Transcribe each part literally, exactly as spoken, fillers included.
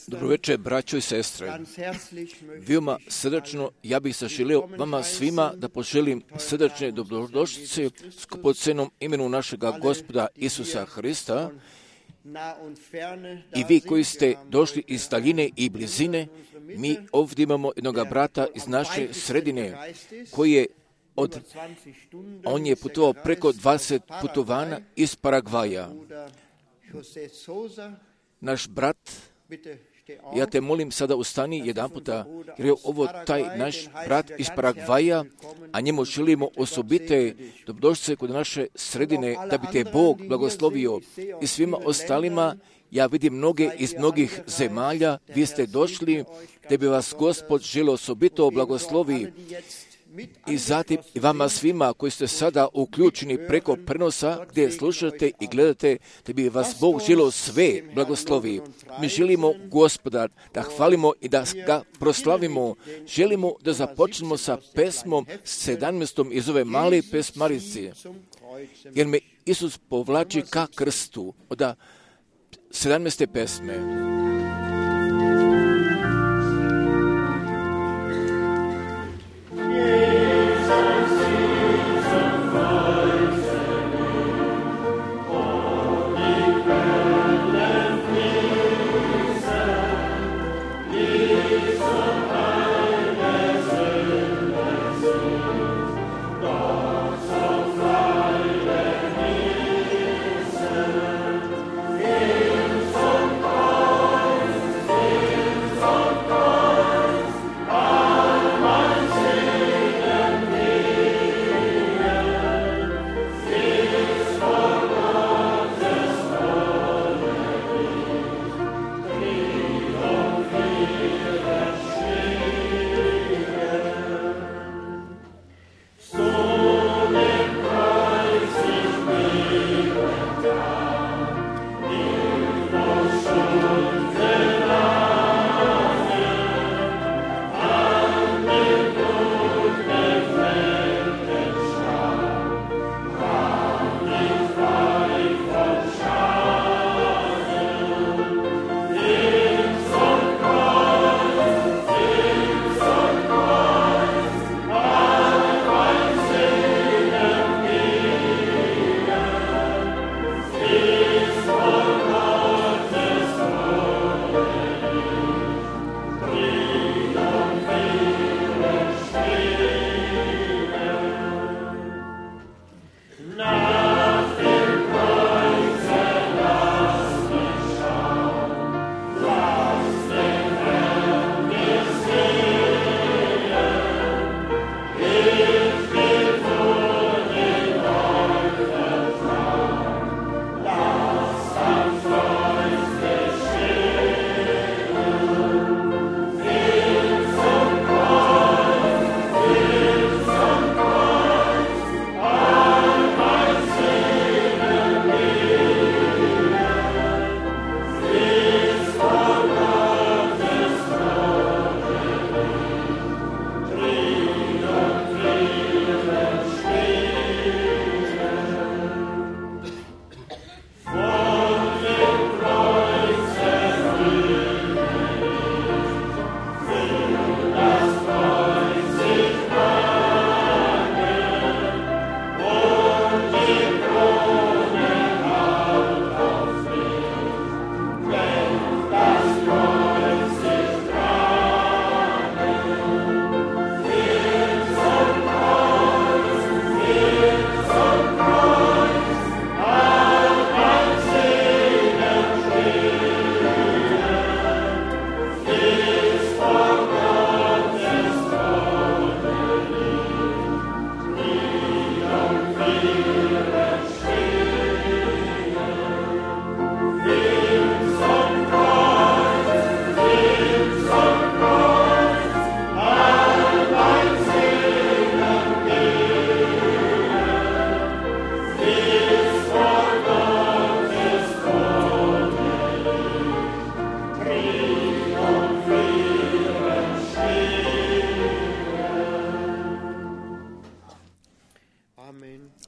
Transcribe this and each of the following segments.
Dobro večer, braćo i sestre. Veoma srdačno, ja bih se želio vama svima da poželim srdačne dobrodošlice skupocenom imenu našega Gospoda Isusa Hrista i vi koji ste došli iz daljine i blizine. Mi ovdje imamo jednog brata iz naše sredine koji je od, on je putovao preko dvadeset putovanja iz Paragvaja. Naš brat, ja te molim sada ustani jedan puta, jer je ovo taj naš brat iz Paragvaja, a njemu želimo osobite dobrodošlice kod naše sredine, da bi te Bog blagoslovio. I svima ostalima, ja vidim mnoge iz mnogih zemalja, vi ste došli, da bi vas Gospod želio osobito blagoslovi. I zatim i vama svima koji ste sada uključeni preko prenosa gdje slušate i gledate, da bi vas Bog želio sve blagoslovi. Mi želimo Gospoda da hvalimo i da ga proslavimo. Želimo da započnemo sa pesmom sedamnaestom iz ove male pesmarice, jer me Isus povlači ka krstu od sedamnaeste pesme.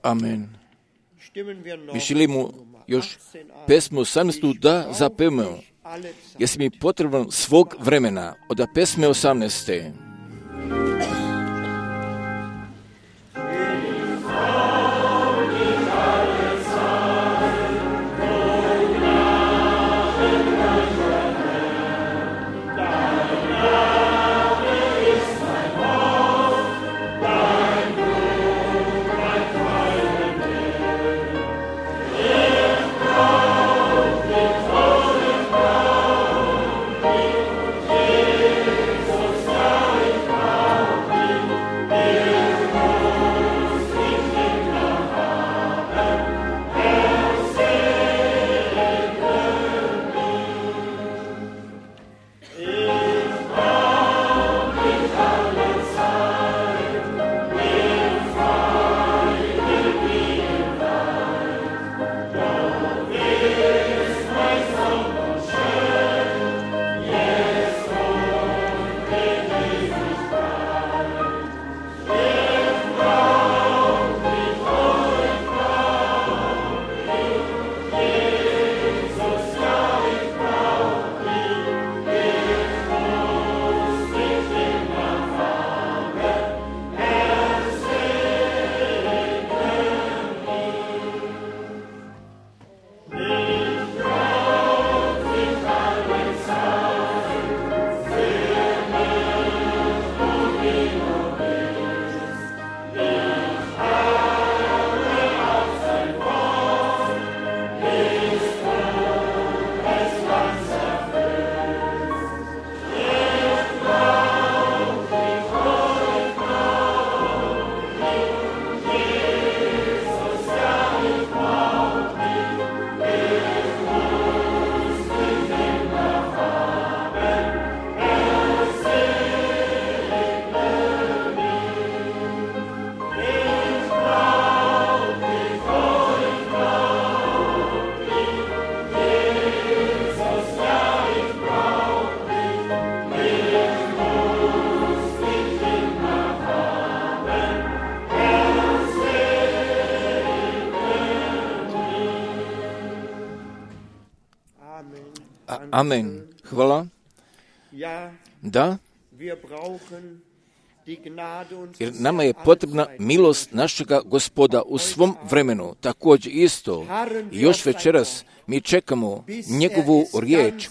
Amen. Mi želimo još pesmu osamnaestu da zapevamo. jesi mi potreban svog vremena. Od pesme osamnaeste. Amen. Hvala. Da. Jer nama je potrebna milost našega Gospoda u svom vremenu. Također isto, još večeras mi čekamo njegovu riječ,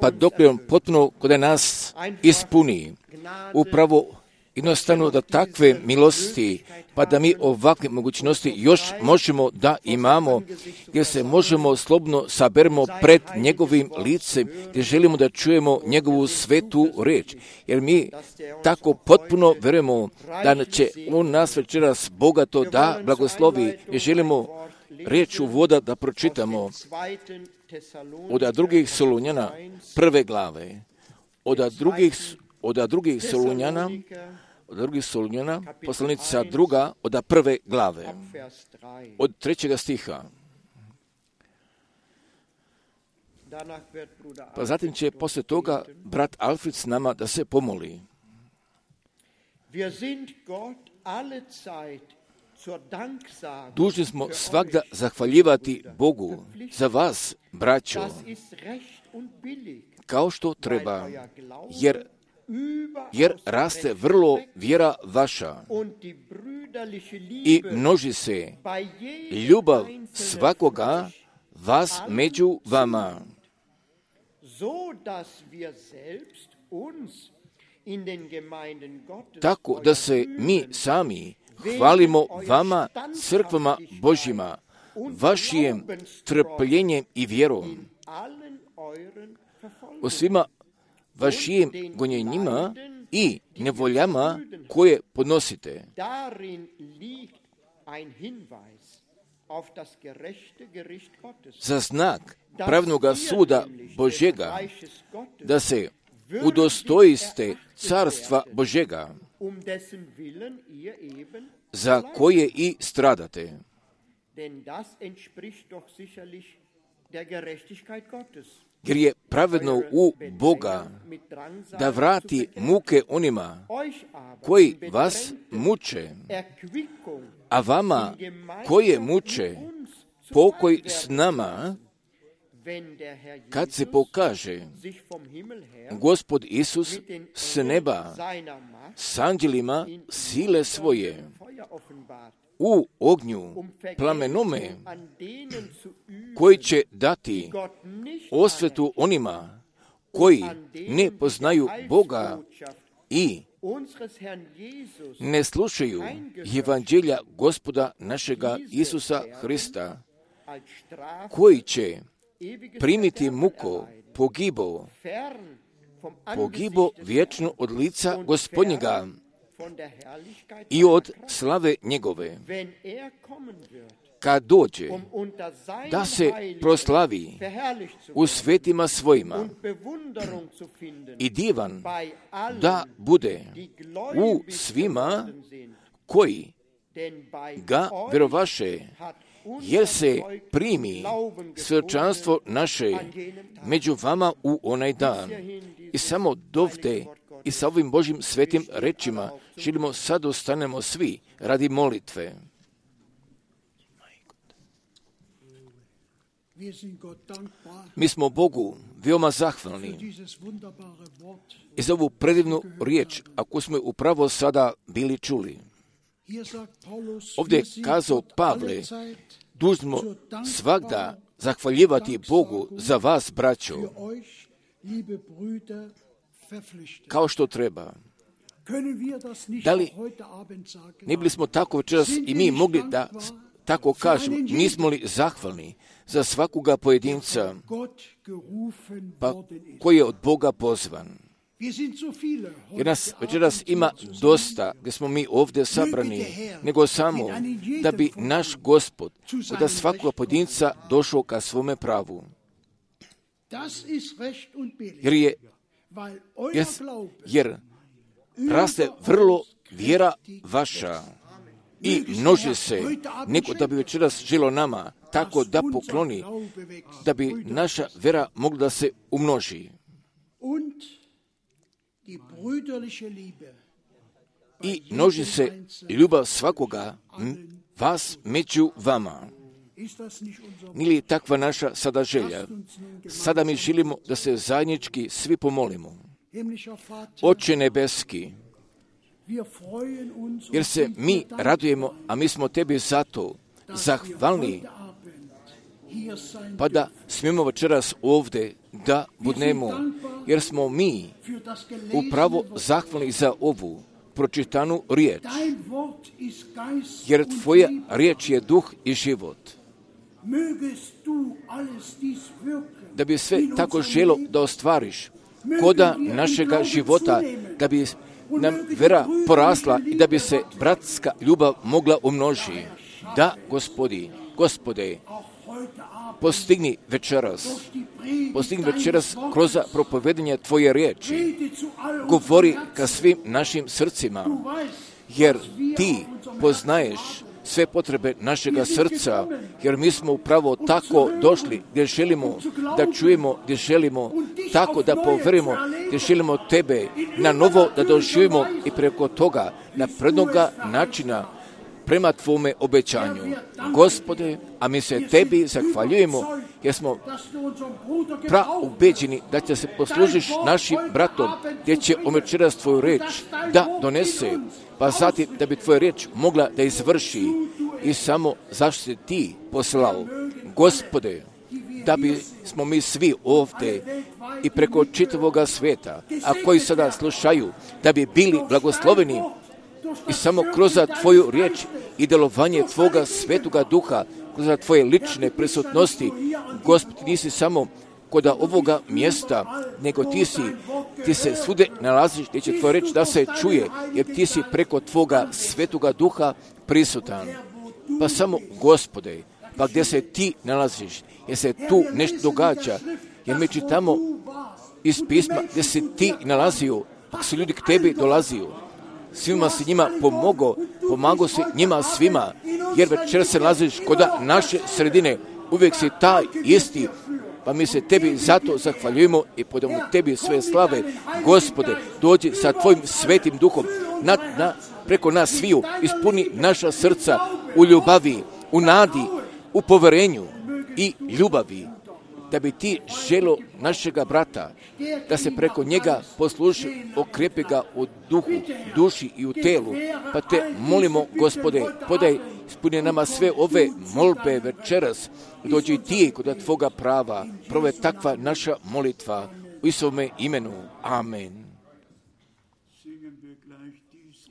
pa dok on potpuno kod nas ispuni. Upravo jednostavno da takve milosti, pa da mi ovakve mogućnosti još možemo da imamo, gdje se možemo slobodno saberemo pred njegovim licem, gdje želimo da čujemo njegovu svetu riječ. Jer mi tako potpuno verujemo da će on nas večeras bogato da blagoslovi i želimo riječ uvoda da pročitamo od drugih Solunjana prve glave, od drugih od drugih Solunjana, od drugih Solunjana, poslanica druga, od prve glave, od trećega stiha. Pa zatim će poslije toga brat Alfred s nama da se pomoli. Dužni smo svakda zahvaljivati Bogu za vas, braćo, kao što treba, jer jer raste vrlo vjera vaša i množi se ljubav svakoga vas među vama, tako da se mi sami hvalimo vama, crkvama Božjima, vašim trpljenjem i vjerom, o svima vašim gonjenjima i nevoljama koje podnosite. Za znak pravnoga suda Božjega, da se udostojiste carstva Božjega, za koje i stradate. Jer je pravedno u Boga da vrati muke onima koji vas muče, a vama koje muče pokoj s nama, kad se pokaže Gospod Isus s neba s anđelima sile svoje u ognju plamenome, koji će dati osvetu onima koji ne poznaju Boga i ne slušaju evanđelja Gospoda našega Isusa Hrista, koji će primiti muko, pogibo, pogibo vječno od lica Gospodnjega i od slave njegove, kad dođe da se proslavi u svetima svojima i divan da bude u svima koji ga vjerovaše, jer se primi svjedočanstvo naše među vama u onaj dan. I samo dovde i sa ovim Božjim svetim rečima želimo sad ostanemo svi radi molitve. Mi smo Bogu veoma zahvalni i za ovu predivnu riječ, ako smo upravo sada bili čuli. Ovdje je kazao Pavle, dužno svagda zahvaljivati Bogu za vas, braćo, kao što treba. Da li ne bili smo tako večeras i mi mogli da tako kažemo, nismo li zahvalni za svakoga pojedinca pa koji je od Boga pozvan? Jer nas večeras ima dosta gdje smo mi ovdje sabrani, nego samo da bi naš Gospod od svakoga pojedinca došao ka svome pravu. Jer je jer, jer raste vrlo vjera vaša i množi se, nego da bi večeras želo nama tako da pokloni, da bi naša vera mogla da se umnoži. I množi se ljubav svakoga vas među vama. Nije li takva naša sada želja? Sada mi želimo da se zajednički svi pomolimo. Oče nebeski, jer se mi radujemo, a mi smo tebi zato zahvalni, pa da smijemo večeras ovdje da budemo, jer smo mi upravo zahvalni za ovu pročitanu riječ, jer tvoja riječ je duh i život. Da bi sve tako želo da ostvariš koda našega života, da bi nam vera porasla i da bi se bratska ljubav mogla umnožiti. Da, Gospodi, Gospode, postigni večeras, postigni večeras kroz propovedanje tvoje riječi, govori ka svim našim srcima, jer ti poznaješ sve potrebe našega srca, jer mi smo upravo tako došli gdje želimo da čujemo, gdje želimo tako da poverimo, gdje želimo tebe na novo da doživimo i preko toga na prednoga načina prema tvome obećanju. Gospode, a mi se tebi zahvaljujemo jer smo praubeđeni da će se poslužiš našim bratom gdje će večeras tvoju reč da donese, pa zatim da bi tvoja riječ mogla da izvrši i samo zašto si ti poslao. Gospode, da bi smo mi svi ovdje i preko čitavoga svijeta, a koji sada slušaju, da bi bili blagosloveni i samo kroz tvoju riječ i delovanje tvoga svetoga duha, kroz tvoje lične prisutnosti. Gospod, nisi samo kod ovoga mjesta, nego ti si, ti se svude nalaziš gdje će tvoja reč da se čuje, jer ti si preko tvoga svetoga duha prisutan. Pa samo, Gospode, pa gdje se ti nalaziš, jer se tu nešto događa, jer mi čitamo iz pisma gdje se ti nalazio, pa su ljudi k tebi dolazio. Svima si njima pomogao, pomagao si njima svima, jer večer se nalaziš kod naše sredine, uvijek si taj isti, pa mi se tebi zato zahvaljujemo i podamo tebi sve slave. Gospode, dođi sa tvojim svetim duhom na, na, preko nas sviju, ispuni naša srca u ljubavi, u nadi, u poverenju i ljubavi. da bi ti želo našega brata, da se preko njega posluši, okrepi ga u duhu, duši i u telu. Pa te molimo, Gospode, podaj ispuni nama sve ove molbe večeras, dođi ti kod tvoga prava, prove takva naša molitva u Isovome imenu. Amen.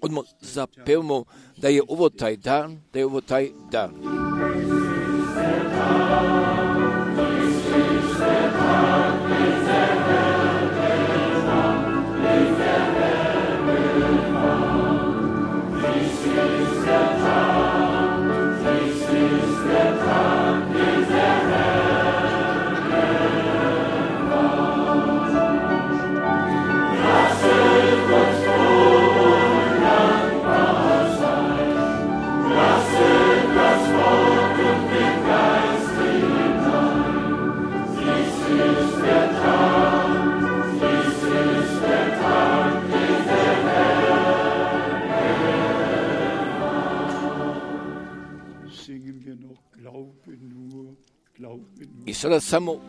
Odmah zapevamo da je ovo taj dan, da je ovo taj dan. I sada samo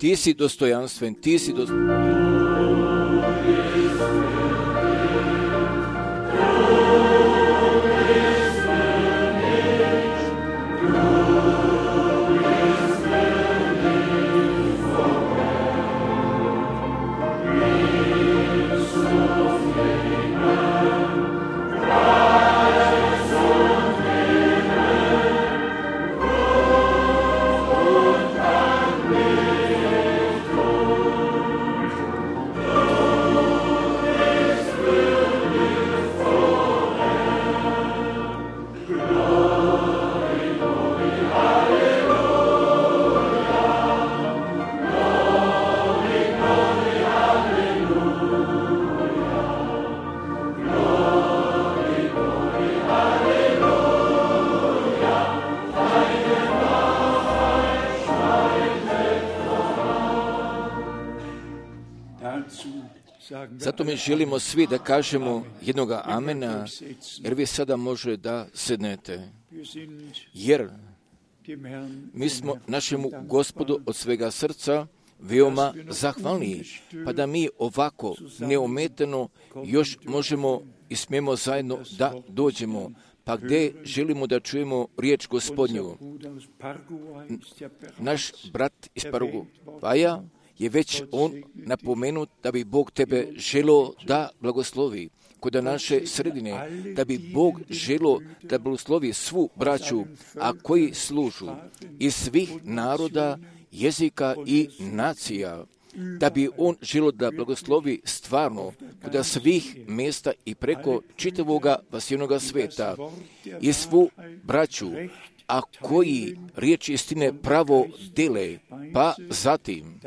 ti si dostojanstven, ti si dostojanstven. Zato mi želimo svi da kažemo jednoga amena, jer vi sada može da sednete. Jer mi smo našemu Gospodu od svega srca veoma zahvalni, pa da mi ovako neometano još možemo i smijemo zajedno da dođemo, pa gdje želimo da čujemo riječ Gospodnju. Naš brat iz Paraguaja je već on napomenut da bi Bog tebe želo da blagoslovi kod naše sredine, da bi Bog želo da blagoslovi svu braću, a koji služu iz svih naroda, jezika i nacija, da bi on želo da blagoslovi stvarno kod svih mjesta i preko čitavoga vasivnoga sveta i svu braću, a koji riječ istine pravo dele, pa zatim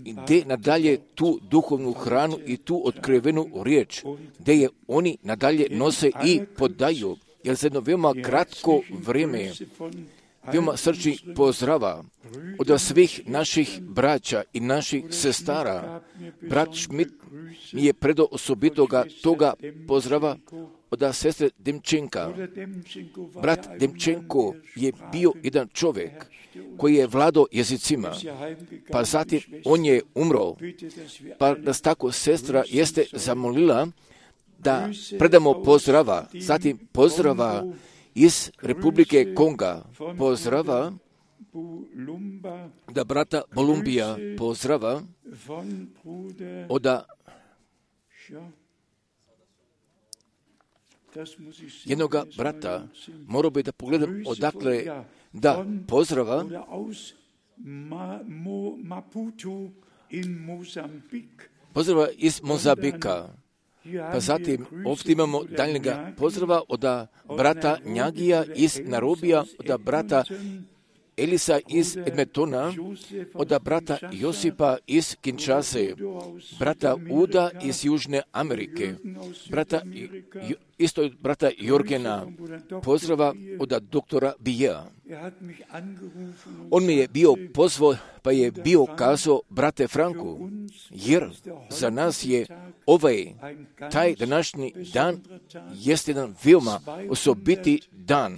ide nadalje tu duhovnu hranu i tu otkrivenu riječ, gdje je oni nadalje nose i podaju, jer za jedno veoma kratko vrijeme veoma srčni pozdrava od svih naših braća i naših sestara. Brat Schmidt mi je predao osobitoga toga pozdrava od sestre Demčenka. Brat Demčenko je bio jedan čovjek koji je vladao jezicima, pa zatim on je umro, pa nas tako sestra jeste zamolila da predamo pozdrava, zatim pozdrava iz Republike Konga, pozdrava da brata Bolumbija, pozdrava od jednoga brata, morao bi da pogledam odakle, da pozdrava pozdrava iz Mozambika. Pa zatim ovdje imamo daljnjega pozdrava od brata Njagija iz Narobija, od brata Elisa iz Edmontona, od brata Josipa iz Kinshase, brata Uda iz Južne Amerike, brata, isto brata Jorgena, pozdrava od doktora Bija. On mi je bio pozvao, pa je bio kazao, brate Franku, jer za nas je ovaj, taj današnji dan, jest jedan veoma osobiti dan,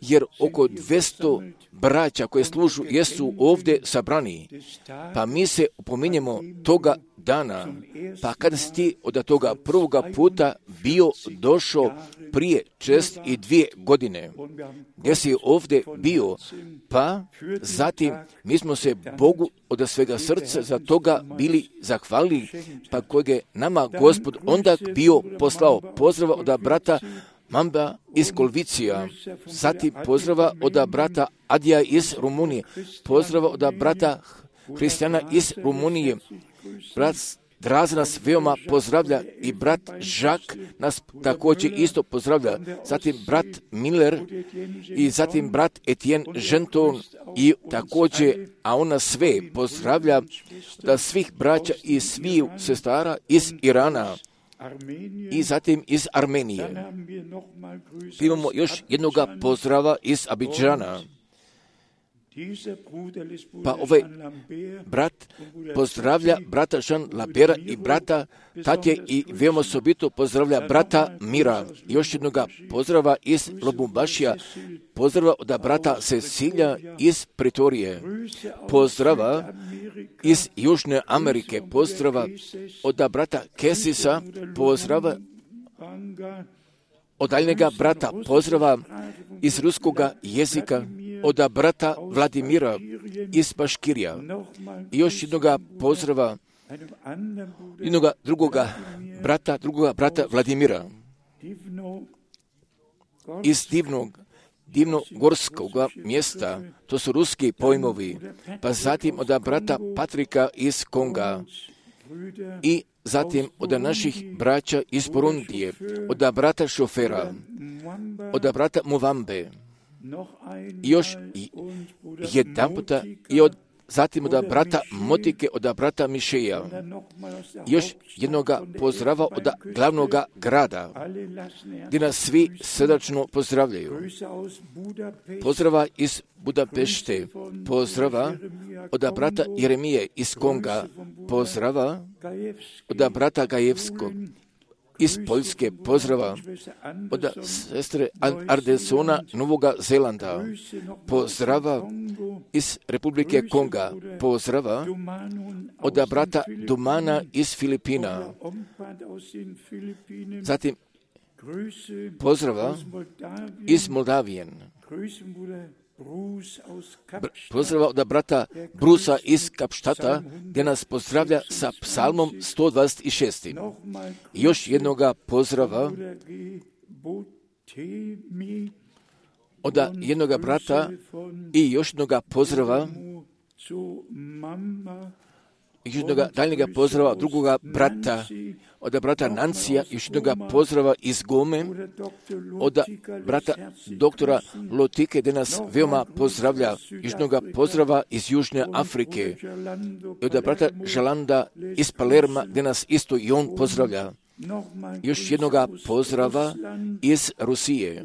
jer oko dvjesto braća koje služu jesu ovdje sabrani, pa mi se upominjemo toga dana, pa kada si ti od toga prvoga puta bio došao prije čest i dvije godine, gdje si ovdje bio, pa zatim mi smo se Bogu od svega srca za toga bili zahvalili, pa kojeg je nama Gospod onda bio poslao. Pozdrava od brata Mamba iz Kolvicija, zatim pozdrava od brata Adija iz Rumunije, pozdrava od brata Hristijana iz Rumunije, brat Draza nas veoma pozdravlja i brat Žak nas također isto pozdravlja, zatim brat Miller i zatim brat Etienne Genton i također, a on nas sve pozdravlja da svih braća i svih sestara iz Irana i zatim iz Armenije. Imamo još jednoga pozdrava iz Abidžana. Pa ovaj brat pozdravlja brata Jean Labera i brata Tatje i veoma osobito pozdravlja brata Mira. Još jednoga pozdrava iz Lubumbašija, pozdrava od brata Cecilija iz Pretorije, pozdrava iz Južne Amerike, pozdrava od brata Kesisa, pozdrava od daljnjega brata, pozdrava iz ruskoga jezika, od brata Vladimira iz Baškirija. I još jednoga pozdrava, jednoga drugoga brata, drugoga brata Vladimira iz divnog, divnogorskog mjesta, to su ruski pojmovi, pa zatim od brata Patrika iz Konga i zatim od naših braća iz Burundije, od brata Šofera, od brata Muvambe, i još jedan puta i od zatim od brata Motike, od brata Mišeja. Još jednoga pozdrava od glavnog grada, gdje nas svi srdačno pozdravljaju. Pozdrava iz Budapešte, pozdrava od brata Jeremije iz Konga, pozdrava od brata Gajevskog iz Poljske, pozdrava od sestre Ardesona Novoga Zelanda, pozdrava iz Republike Konga, pozdrava od brata Dumana iz Filipina, zatim pozdrava iz Moldavijen, pozdrava od brata Brusa iz Kapštata, gdje nas pozdravlja sa psalmom sto dvadeset šest. I još jednoga pozdrava od jednoga brata i još jednoga pozdrava i još jednoga daljnjega pozdrava od drugoga brata, od brata Nancija, još jednoga pozdrava iz Gome, od brata doktora Lotike, gdje nas veoma pozdravlja, još jednoga pozdrava iz Južne Afrike, i od brata Žalanda iz Palerma, gdje nas isto i on pozdravlja. Još jednoga pozdrava iz Rusije,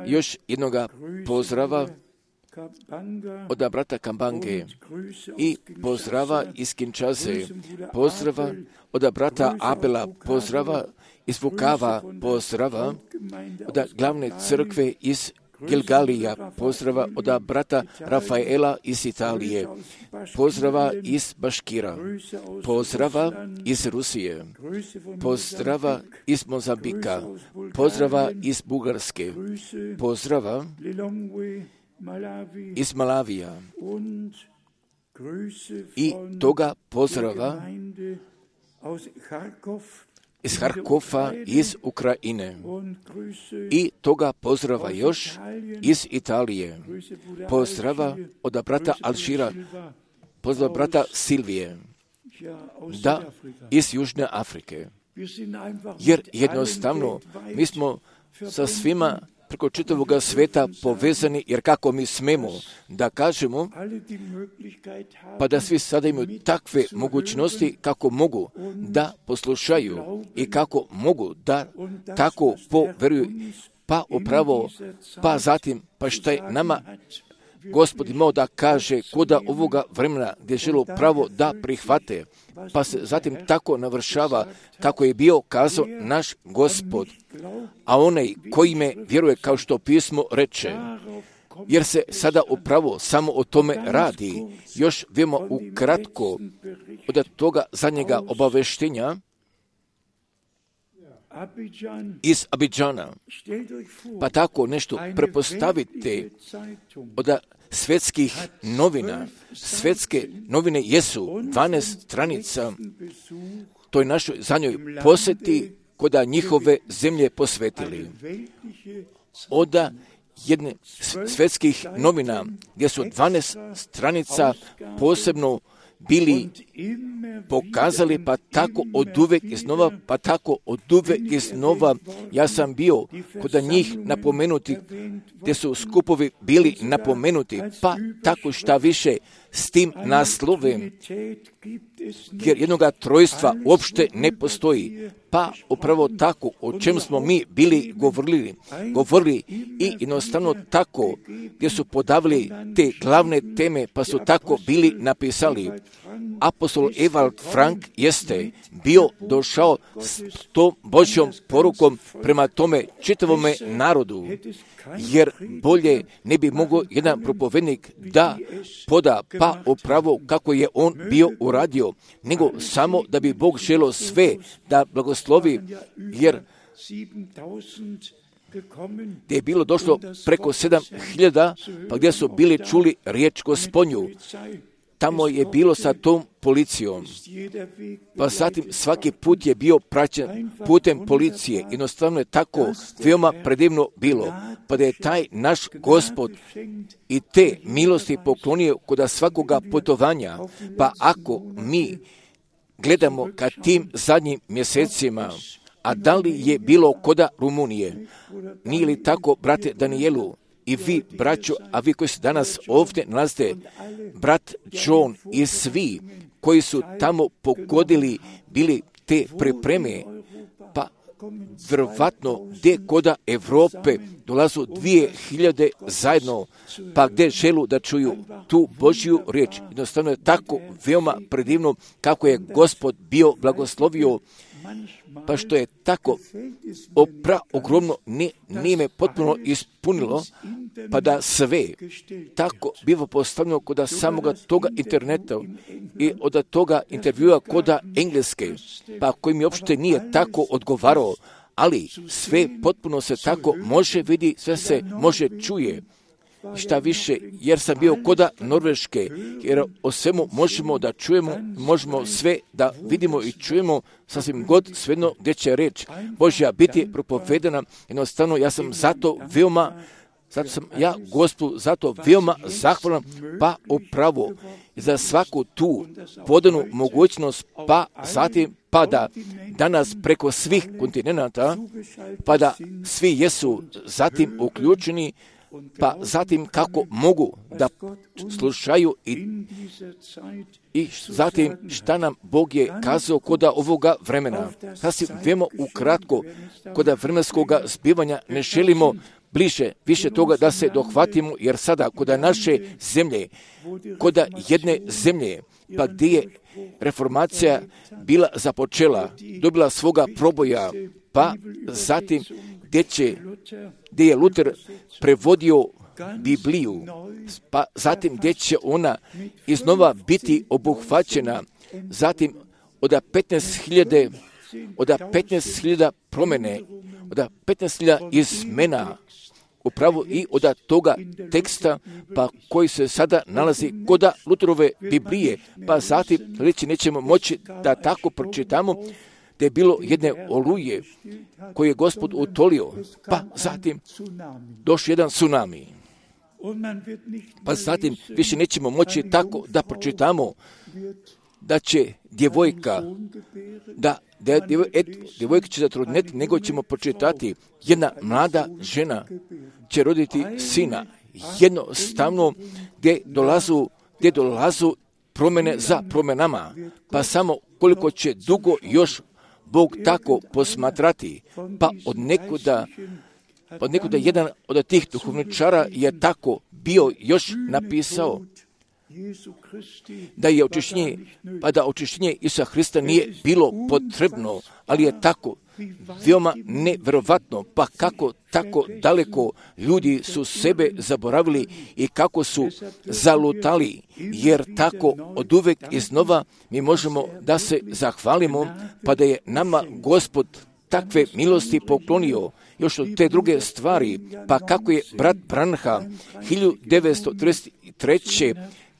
još jednoga pozdrava od brata Kambange i pozdrava iz Kinshase, pozdrava od brata Abela, pozdrava izvukava pozdrava od glavne crkve iz Gilgalija, pozdrava od brata Rafaela iz Italije, pozdrava iz Baškira, pozdrava iz Rusije, pozdrava iz Mozambika, pozdrava iz Bugarske, pozdrava iz Malavija i toga pozdrava iz Harkova, iz Ukrajine i toga pozdrava još iz Italije, pozdrava od brata Alžira, pozdrava brata Silvije, da, iz Južne Afrike. Jer jednostavno mi smo sa svima preko čitavog sveta povezani, jer kako mi smemo da kažemo, pa da svi sada imaju takve mogućnosti kako mogu da poslušaju i kako mogu da tako poveruju, pa upravo, pa zatim, pa šta je nama Gospod imao da kaže koda ovoga vremena gdje žele pravo da prihvate, pa se zatim tako navršava kako je bio kazao naš Gospod, a onaj koji me vjeruje kao što pismo reče, jer se sada upravo samo o tome radi. Još vemo ukratko od toga zadnjega obaveštenja iz Abidžana, pa tako nešto prepostavite od svetskih novina. Svetske novine jesu dvanaest stranica toj našoj zadnjoj posjeti koda njihove zemlje posvetili. Od jedne svetskih novina gdje su dvanaest stranica posebno bili pokazali, pa tako od uvek iznova, pa tako od uvek iznova. Ja sam bio kod njih napomenuti, gdje su skupovi bili napomenuti, pa tako šta više s tim naslovem, jer jednoga trojstva uopšte ne postoji. Pa upravo tako o čem smo mi bili govorili, govorili i jednostavno tako gdje su podavili te glavne teme, pa su tako bili napisali. Apostol Ewald Frank jeste bio došao s tom Božjom porukom prema tome čitavome narodu, jer bolje ne bi mogao jedan propovednik da poda pa upravo kako je on bio uradio, nego samo da bi Bog želio sve da blagoslovi, jer gdje je bilo došlo preko sedam hiljada, pa gdje su bili čuli riječ Gospodnju. Tamo je bilo sa tom policijom, pa zatim svaki put je bio praćen putem policije. Jednostavno je tako veoma predivno bilo, pa da je taj naš Gospod i te milosti poklonio kod svakoga putovanja. Pa ako mi gledamo ka tim zadnjim mjesecima, a da li je bilo koda Rumunije, nije li tako, brate Danijelu, i vi, braćo, a vi koji se danas ovdje nalazite, brat John i svi koji su tamo pogodili bili te pripreme, pa vjerovatno gdje koda Evrope dolazu dvije hiljade zajedno, pa gdje želu da čuju tu Božju riječ. Jednostavno je tako veoma predivno kako je Gospod bio blagoslovio, pa što je tako opra ogromno nije, nije me potpuno ispunilo, pa da sve tako biva postavljeno kod samoga toga interneta i od toga intervjua kod engleske, pa koji mi uopšte nije tako odgovarao, ali sve potpuno se tako može vidi, sve se može čuje. Šta više, jer sam bio koda Norveške, jer o svemu možemo da čujemo, možemo sve da vidimo i čujemo, sasvim god svejedno gdje će reč Božja biti propovedana. Jednostavno, ja sam zato veoma, zato sam ja Gospodu zato veoma zahvalan, pa upravo za svaku tu podanu mogućnost, pa zatim pa da danas preko svih kontinenata, pa da svi jesu zatim uključeni, pa zatim kako mogu da slušaju i, i zatim šta nam Bog je kazao koda ovoga vremena. Sasvim vemo ukratko, koda vremenskog zbivanja ne želimo bliže više toga da se dohvatimo, jer sada koda naše zemlje, koda jedne zemlje, pa gdje je reformacija bila započela, dobila svoga proboja, pa zatim gdje, će, gdje je Luter prevodio Bibliju, pa zatim gdje će ona iznova biti obuhvaćena, zatim od petnaest hiljada od petnaest hiljada promjene, od petnaest hiljada izmena, upravo i od toga teksta pa koji se sada nalazi kod Luterove Biblije, pa zatim reći nećemo moći da tako pročitamo da je bilo jedne oluje koje je Gospod utolio, pa zatim došao jedan tsunami. Pa zatim više nećemo moći tako da pročitamo da će djevojka, da, da djevoj, et, djevojka će zatrudneti, nego ćemo pročitati jedna mlada žena će roditi sina. Jednostavno gdje dolazu, gdje dolazu promjene za promjenama, pa samo koliko će dugo još Bog tako posmatrati, pa od nekuda, od nekuda jedan od tih duhovničara je tako bio još napisao da je očišćenje, pa da očišćenje Isusa Hrista nije bilo potrebno, ali je tako veoma nevjerovatno, pa kako tako daleko ljudi su sebe zaboravili i kako su zalutali, jer tako od uvek iznova mi možemo da se zahvalimo, pa da je nama Gospod takve milosti poklonio, još od te druge stvari, pa kako je brat Branham hiljadu devetsto trideset treće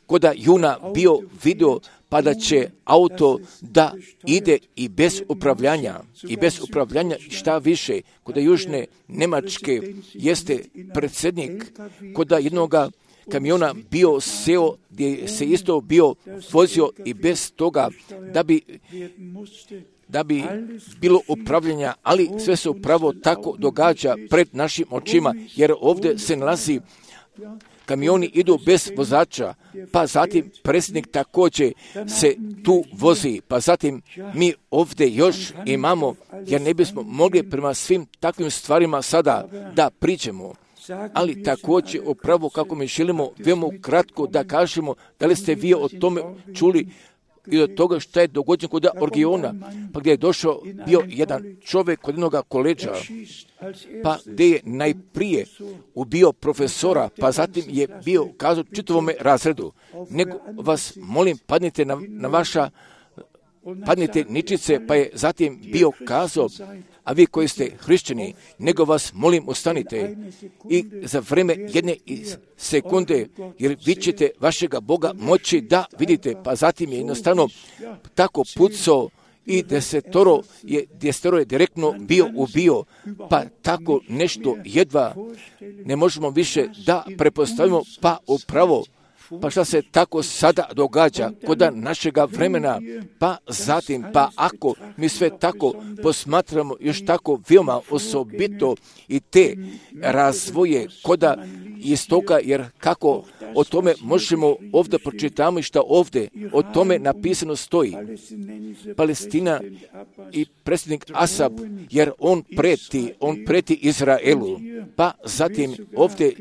koda juna bio video pa da će auto da ide i bez upravljanja, i bez upravljanja šta više, koda Južne Njemačke jeste predsjednik, koda jednoga kamiona bio seo gdje se isto bio vozio i bez toga da bi da bi bilo upravljanja, ali sve se upravo tako događa pred našim očima, jer ovdje se nalazi kamioni idu bez vozača, pa zatim predsjednik također se tu vozi, pa zatim mi ovdje još imamo, jer ne bismo mogli prema svim takvim stvarima sada da priđemo. Ali također upravo kako mi želimo veoma kratko da kažemo da li ste vi o tome čuli i od toga što je dogođeno kod Orgiona, pa gdje je došao bio jedan čovjek kod jednog koleđa, pa gdje je najprije ubio profesora, pa zatim je bio kazao čitavome razredu, nego vas molim padnite na, na vaša padnite ničice, pa je zatim bio kazao, a vi koji ste hrišćani, nego vas molim ustanite i za vrijeme jedne sekunde, jer vi ćete vašega Boga moći da vidite, pa zatim je jednostavno tako pucao i desetoro je, desetoro je direktno bio ubio, pa tako nešto jedva ne možemo više da prepostavimo, pa upravo pa šta se tako sada događa kod našega vremena, pa zatim, pa ako mi sve tako posmatramo još tako veoma osobito i te razvoje koda iz toga, jer kako o tome možemo ovdje pročitamo i šta ovdje o tome napisano stoji. Palestina i predsjednik Asab, jer on preti, on preti Izraelu, pa zatim ovdje,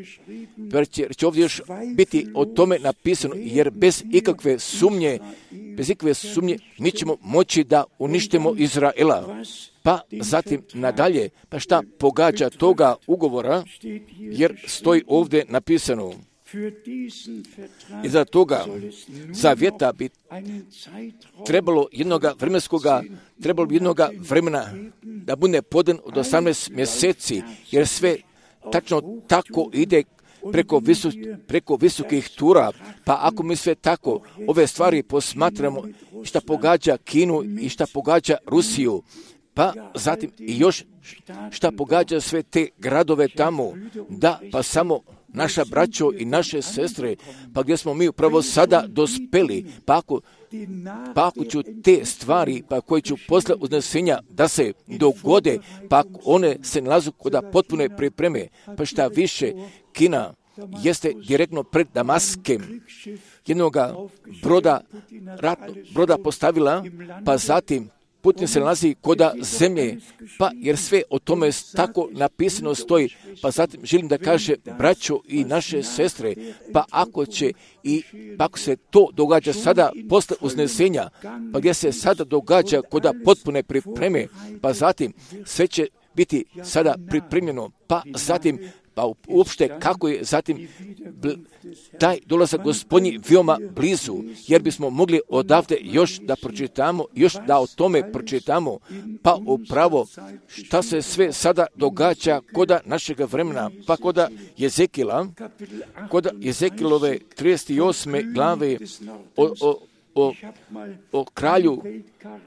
jer će ovdje još biti o tome napisano, jer bez ikakve sumnje, bez ikakve sumnje mi ćemo moći da uništimo Izraela. Pa zatim nadalje, pa šta pogađa toga ugovora, jer stoji ovdje napisano. Iza toga zavjeta bi trebalo jednoga vremenskoga, trebalo bi jednoga vremena da bude podan od osamnaest mjeseci, jer sve tačno tako ide preko, visu, preko visokih tura, pa ako mi sve tako ove stvari posmatramo, šta pogađa Kinu i šta pogađa Rusiju, pa zatim i još šta pogađa sve te gradove tamo, da pa samo naša braćo i naše sestre, pa gdje smo mi upravo sada dospeli, pa ako, pa ako ću te stvari, pa koje ću posle uznesenja da se dogode, pa ako one se nalazu kod potpune pripreme, pa šta više, Kina jeste direktno pred Damaskem jednoga broda, ratno, broda postavila, pa zatim Putin se nalazi koda zemlje, pa jer sve o tome tako napisano stoji. Pa zatim želim da kaže, braćo i naše sestre, pa ako će i pa ako se to događa sada posle uznesenja, pa gdje se sada događa koda potpune pripreme, pa zatim sve će biti sada pripremljeno, pa zatim pa uopšte kako je zatim bl- taj dolazak Gospodnji veoma blizu, jer bismo mogli odavde još da pročitamo, još da o tome pročitamo, pa upravo šta se sve sada događa koda našega vremena, pa koda Jezekila, koda Jezekilove trideset osme glave o, o, o, o kralju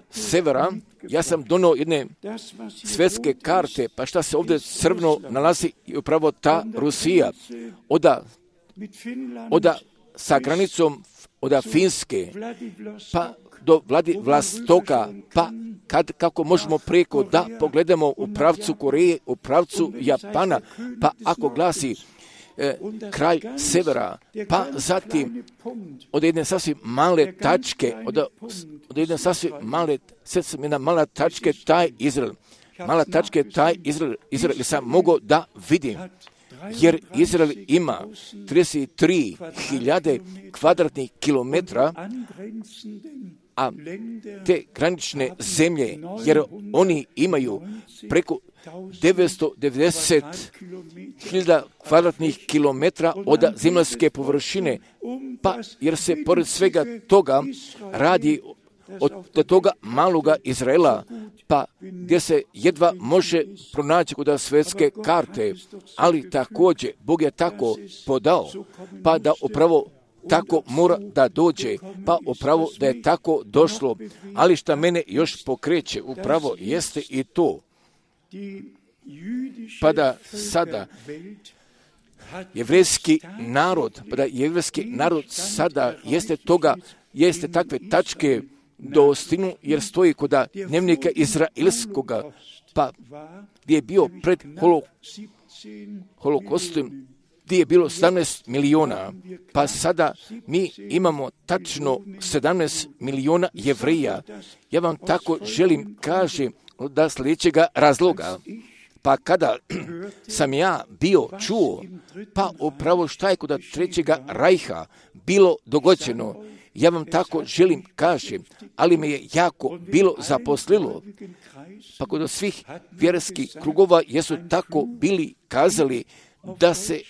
severa. Ja sam donio jedne svjetske karte, pa šta se ovdje crveno nalazi i upravo ta Rusija, oda, oda sa granicom oda Finske, pa do Vladivostoka, pa kad, kako možemo preko da pogledamo u pravcu Koreje, u pravcu Japana, pa ako glasi E, kraj severa, pa zatim od jedne sasvim male tačke, od, od jedne sasvim male, sad sam jedna mala tačke, taj Izrael, mala tačke, taj Izrael, Izrael sam mogao da vidim, jer Izrael ima trideset tri hiljade kvadratnih kilometra, a te granične zemlje, jer oni imaju preko devetsto devedeset hiljada kvadratnih kilometra od zemaljske površine, pa jer se pored svega toga radi od toga maloga Izraela, pa gdje se jedva može pronaći kod svjetske karte, ali također Bog je tako podao, pa da upravo tako mora da dođe, pa upravo da je tako došlo, ali šta mene još pokreće, upravo jeste i to, pa da sada jevrejski narod, pa da jevrejski narod sada jeste toga, jeste takve tačke dostignu, jer stoji kod dnevnika izraelskoga, pa gdje je bio pred holo, holokostom, gdje je bilo sedamnaest miliona, pa sada mi imamo tačno sedamnaest miliona Jevreja. Ja vam tako želim kažem da sljedećega razloga, pa kada sam ja bio čuo, pa upravo šta je kod trećega rajha bilo dogođeno, ja vam tako želim kažem, ali me je jako bilo zaposlilo, pa kod svih vjerskih krugova jesu tako bili kazali da se,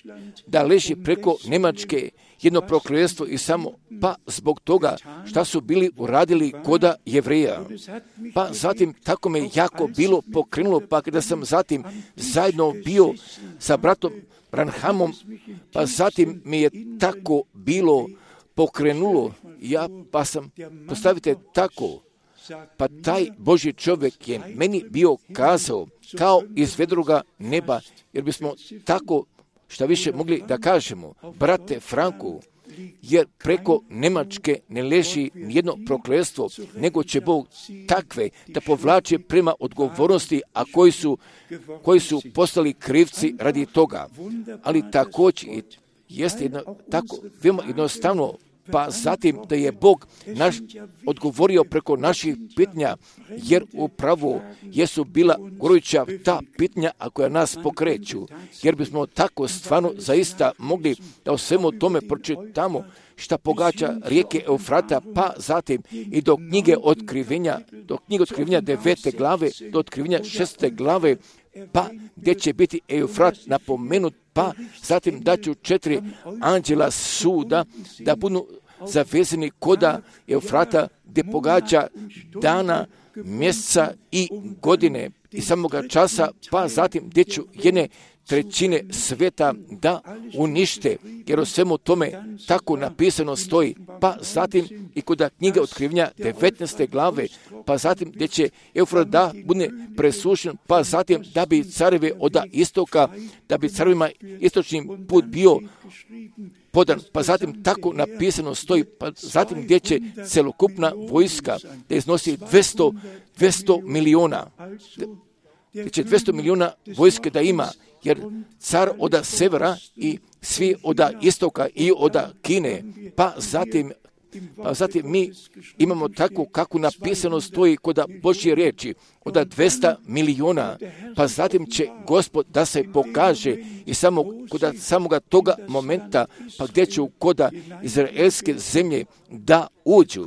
da leži preko Njemačke jedno prokletstvo i samo, pa zbog toga šta su bili uradili koda Jevreja. Pa zatim tako me jako bilo pokrenulo, pa kada sam zatim zajedno bio sa bratom Branhamom, pa zatim mi je tako bilo pokrenulo, ja pa sam, postavite tako, pa taj Božji čovjek je meni bio kazao kao iz vedroga neba, jer bismo tako šta više mogli da kažemo, brate Franku, jer preko Njemačke ne leži nijedno prokletstvo, nego će Bog takve da povlače prema odgovornosti, a koji su, koji su postali krivci radi toga. Ali također jeste jedno, tako veoma jednostavno, pa zatim da je Bog naš odgovorio preko naših pitanja, jer upravo jesu bila goruća ta pitanja, a koja nas pokreću, jer bismo tako stvarno zaista mogli da o svemu tome pročitamo šta pogađa rijeke Eufrata, pa zatim i do knjige otkrivenja, do knjige otkrivenja devete glave, do otkrivenja šeste glave, pa gdje će biti Eufrat napomenut, pa zatim da ću četiri anđela suda da budu zavezani koda Eufrata gdje pogađa dana, mjeseca i godine i samoga časa, pa zatim gdje ću jedne trećine sveta da unište, jer o svemu tome tako napisano stoji, pa zatim i kod knjige otkrivenja devetnaeste glave, pa zatim gdje će Eufrat da bude presušen, pa zatim da bi carevi od istoka, da bi carevima istočni put bio podan, pa zatim tako napisano stoji, pa zatim gdje će celokupna vojska da iznosi dvjesto, dvjesto miliona, gdje će dvjesto miliona vojske da ima, jer car oda severa i svi oda istoka i oda Kine, pa zatim Pa zatim mi imamo tako kako napisano stoji kod Božje riječi, od dvesta miliona, pa zatim će Gospod da se pokaže i samo kod samoga toga momenta, pa gdje će kod izraelske zemlje da uđu.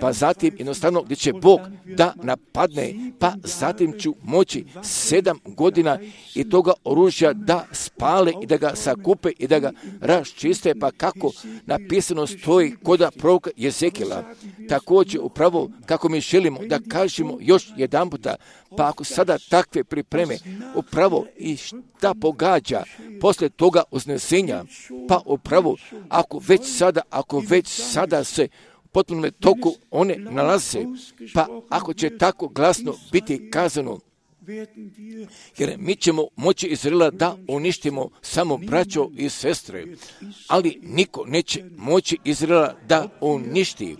Pa zatim jednostavno gdje će Bog da napadne, pa zatim ću moći sedam godina i toga oružja da spale i da ga sakupe i da ga raščiste, pa kako napisano stoji kod proroka Jezekijela. Također upravo kako mi želimo da kažemo još jedan puta, pa ako sada takve pripreme, upravo i šta pogađa posle toga uznesenja, pa upravo ako već sada, ako već sada se potpuno toku one nalaze, pa ako će tako glasno biti kazano, jer mi ćemo moći Izraela da uništimo samo braćo i sestre, ali niko neće moći Izraela da uništi.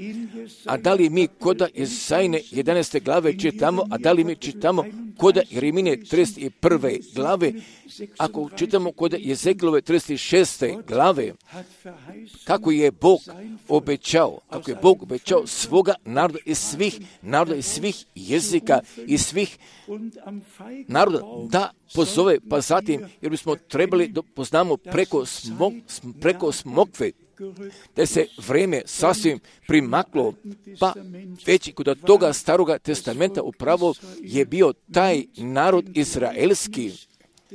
A da li mi koda Isajine jedanaeste glave čitamo, a da li mi čitamo koda Jeremine trideset prve glave, ako čitamo koda Jezekilove trideset šeste glave, kako je Bog obećao, kako je Bog obećao svoga naroda iz svih naroda, iz svih jezika, iz svih naroda da pozove, pa zatim, jer bismo trebali da poznamo preko, smok, preko smokve, da se vreme sasvim primaklo, pa već i kod toga staroga testamenta upravo je bio taj narod izraelski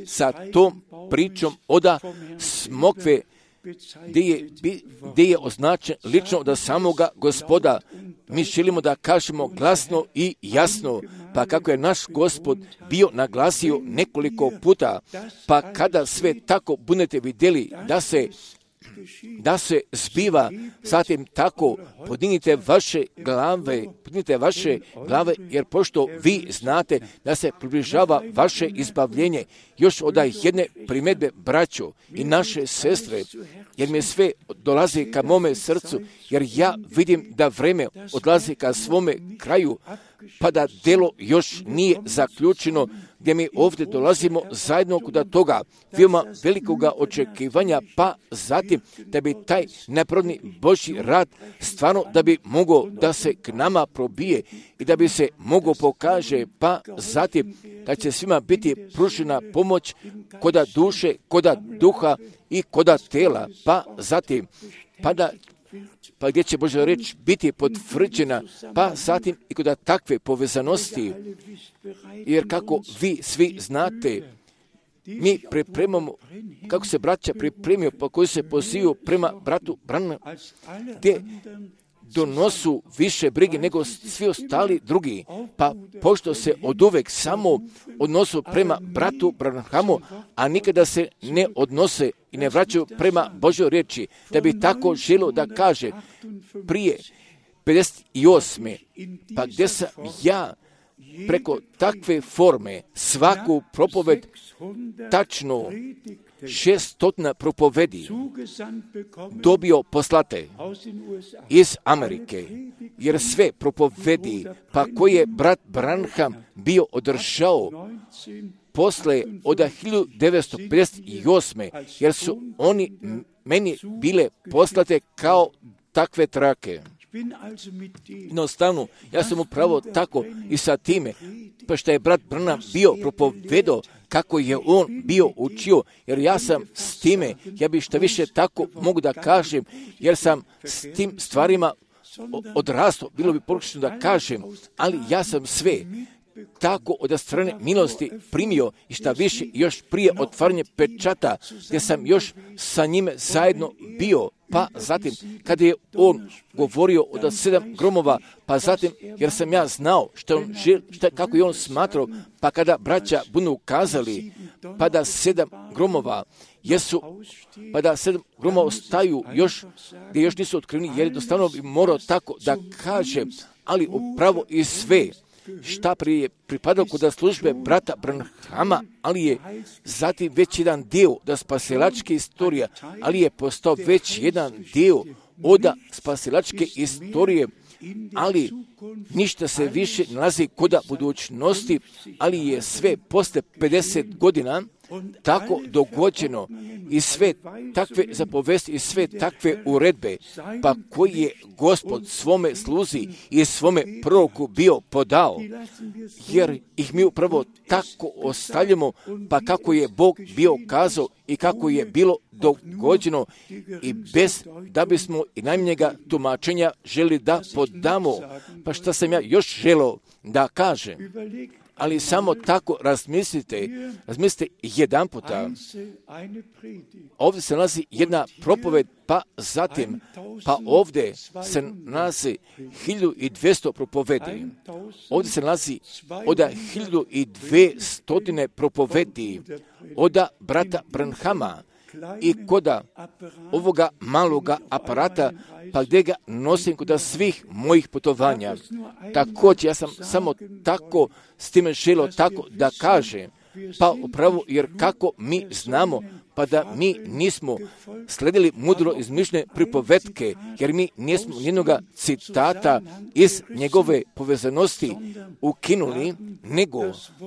sa tom pričom oda smokve, gdje je, gdje je označen lično od samoga Gospoda. Mi želimo da kažemo glasno i jasno, pa kako je naš Gospod bio naglasio nekoliko puta, pa kada sve tako budete vidjeli da se da se zbiva, zatim tako podignite vaše glave, podignite vaše glave, jer pošto vi znate da se približava vaše izbavljenje, još od jedne primjedbe braćo i naše sestre, jer mi sve dolazi ka mome srcu, jer ja vidim da vreme odlazi ka svome kraju, pa da delo još nije zaključeno, gdje mi ovdje dolazimo zajedno kod toga veoma velikoga očekivanja, pa zatim da bi taj nepravedni Božji rad stvarno da bi mogao da se k nama probije i da bi se mogao pokaže, pa zatim da će svima biti pružena pomoć koda duše, koda duha i koda tela, pa zatim pa da pa gdje će Božja reč biti potvrđena, pa zatim i kod takve povezanosti, jer kako vi svi znate, mi pripremamo, kako se braća pripremio, pa koji se pozivaju prema bratu Branhamu, gdje donosu više brige nego svi ostali drugi, pa pošto se od uvek samo odnosu prema bratu Branhamu, a nikada se ne odnose i ne vraćaju prema Božjoj riječi, da bi tako želio da kaže prije pedeset osme pa gdje sam ja preko takve forme svaku propoved tačno šeststotina propovedi dobio poslate iz Amerike, jer sve propovedi pa koje je brat Branham bio održao posle od hiljadu devetsto pedeset osme jer su oni meni bile poslate kao takve trake. Jednostavno, ja sam upravo tako i sa time, pa što je brat Branham bio propovedao kako je on bio učio, jer ja sam s time, ja bih što više tako mogu da kažem, jer sam s tim stvarima odrastao, bilo bi pogrešno da kažem, ali ja sam sve tako od strane milosti primio i šta više još prije otvaranja pečata, gdje sam još sa njime zajedno bio, pa zatim kada je on govorio od sedam gromova, pa zatim jer sam ja znao što on žel, šta, kako je on smatrao, pa kada braća budu ukazali, pa da sedam gromova jesu, pa da sedam gromova ostaju još, gdje još nisu otkriveni, jer jednostavno bi morao tako da kaže, ali upravo i sve šta prije pripadalo kod službe brata Branhama, ali je zatim već jedan dio da spasilačke istorije, ali je postao već jedan dio od spasilačke istorije, ali ništa se više nalazi kod budućnosti, ali je sve posle pedeset godina, tako dogođeno i sve takve zapovesti i sve takve uredbe, pa koji je Gospod svome sluzi i svome proroku bio podao, jer ih mi upravo tako ostavljamo, pa kako je Bog bio kazao i kako je bilo dogođeno i bez da bismo i najmanjega tumačenja želi da podamo. Pa šta sam ja još želeo da kažem? Ali samo tako razmislite, razmislite jedan puta. Ovdje se nalazi jedna propoved, pa zatim, pa ovdje se nalazi hiljadu i dvjesto propovedi. Ovdje se nalazi od hiljadu i dvjesto propovedi od brata Branhama i koda ovoga maloga aparata, pa gdje ga nosim kod svih mojih putovanja. Također, ja sam samo tako s time želio tako da kažem, pa upravo jer kako mi znamo, pa da mi nismo sledili mudro izmišljene pripovetke, jer mi nismo nijednoga citata iz njegove povezanosti ukinuli, nego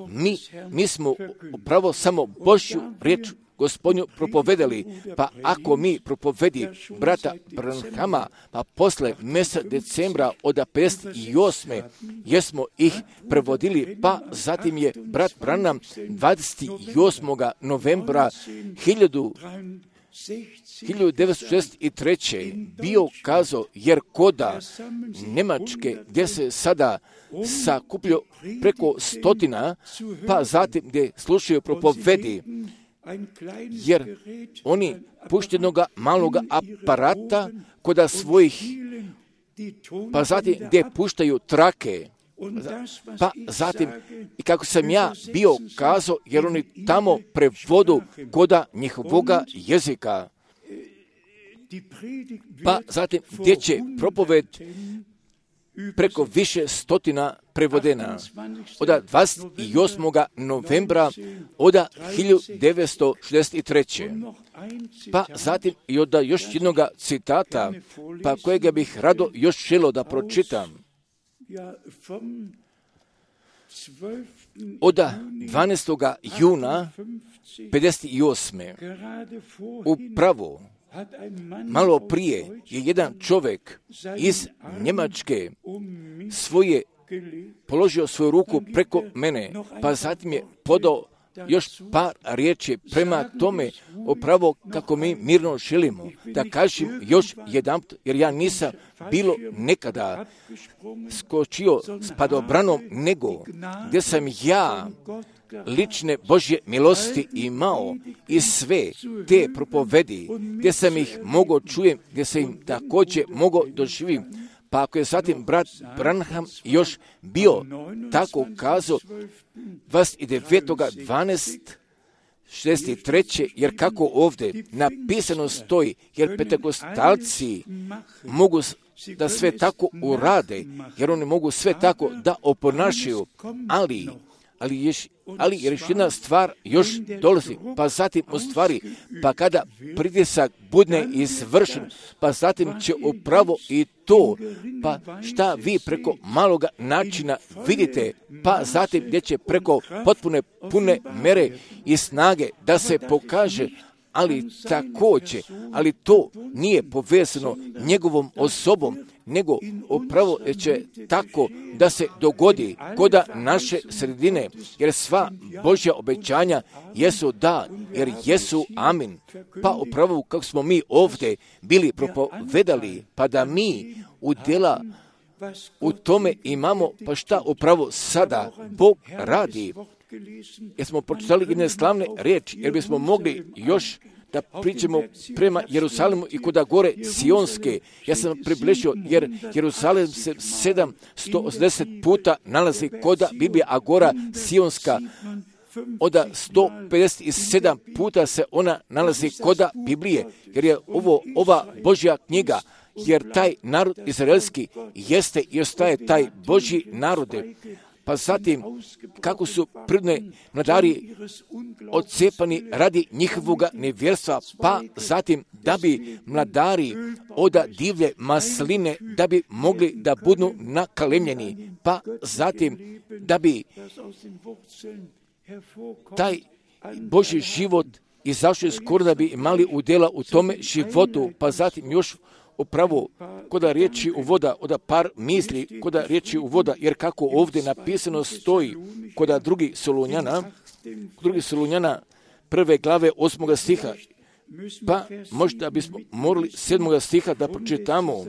mi, mi smo upravo samo Božju riječ Gospodnju propovedali, pa ako mi propovedi brata Branhama, pa posle mjeseca decembra od pedeset osme jesmo ih prevodili, pa zatim je brat Branham dvadeset osmog novembra hiljadu devetsto šezdeset treće bio kazao, jer koda Njemačke, gdje se sada sakupljaju preko stotina, pa zatim gdje slušaju propovedi, jer oni puštenoga maloga aparata koda svojih, pa zatim gdje puštaju trake, pa zatim i kako sam ja bio kazao, jer oni tamo prevodu koda njihovoga jezika, pa zatim gdje će propoved preko više stotina prevodena od dvadeset osmog novembra od hiljadu devetsto šezdeset treće. Pa zatim i od još jednog citata, pa kojega bih rado još želio da pročitam. Od dvanaestog juna pedeset osme. Upravo malo prije je jedan čovjek iz Njemačke svoje položio svoju ruku preko mene, pa zatim je podao još par riječi prema tome upravo kako mi mirno želimo. Da kažem još jedan, jer ja nisam bilo nekada skočio s padobranom, nego gdje sam ja lične Božje milosti imao i sve te propovedi, gdje sam ih mogao čujem, gdje sam im također mogao doživim. Pa ako je zatim brat Branham još bio tako kazao dvadeset devetog dvanaestog šezdeset treće, jer kako ovdje napisano stoji, jer pentekostalci mogu da sve tako urade, jer oni mogu sve tako da oponašaju, ali ali još, ali još jedna stvar još dolazi, pa zatim u stvari, pa kada pritisak budne izvršen, pa zatim će upravo i to, pa šta vi preko maloga načina vidite, pa zatim gdje će preko potpune pune mere i snage da se pokaže, ali također, ali to nije povezano njegovom osobom, nego upravo će tako da se dogodi koda naše sredine, jer sva Božja obećanja jesu da, jer jesu amin. Pa upravo kako smo mi ovdje bili propovedali, pa da mi udjela u tome imamo, pa šta upravo sada Bog radi. Jer smo pročitali jedne slavne riječi, jer bismo mogli još da pričamo prema Jerusalimu i koda gore Sionske. Ja sam približio, jer Jerusalim se sedamsto osamdeset puta nalazi koda Biblija, a gora Sionska od sto pedeset sedam puta se ona nalazi koda Biblije, jer je ovo ova Božja knjiga, jer taj narod izraelski jeste i ostaje taj Božji narode. Pa zatim, kako su prirodne mladari odcepani radi njihovog nevjerstva, pa zatim da bi mladari od divlje masline, da bi mogli da budu nakalemljeni, pa zatim da bi taj Božji život izašli skoro da bi imali udjela u tome životu, pa zatim još upravo koda riječi u voda, oda par misli, koda riječi u voda, jer kako ovdje napisano stoji, koda drugi Solunjana, drugi Solunjana prve glave osmoga stiha, pa možda bismo morali sedmoga stiha da pročitamo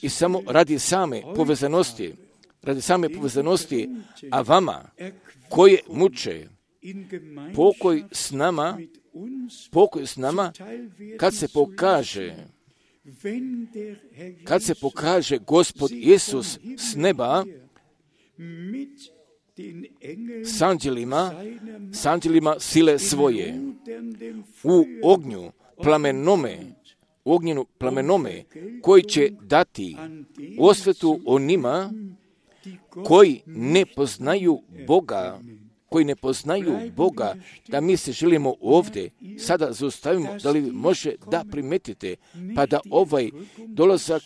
i samo radi same povezanosti, radi same povezanosti, a vama koje muče, pokoj s nama, pokoj s nama, kad se pokaže, kad se pokaže Gospod Isus s neba, s anđelima, s anđelima sile svoje, u ognju plamenome, u ognjenu plamenome, koji će dati osvetu onima koji ne poznaju Boga, koji ne poznaju Boga, da mi se želimo ovdje sada zaustavimo, da li može da primetite, pa da ovaj dolazak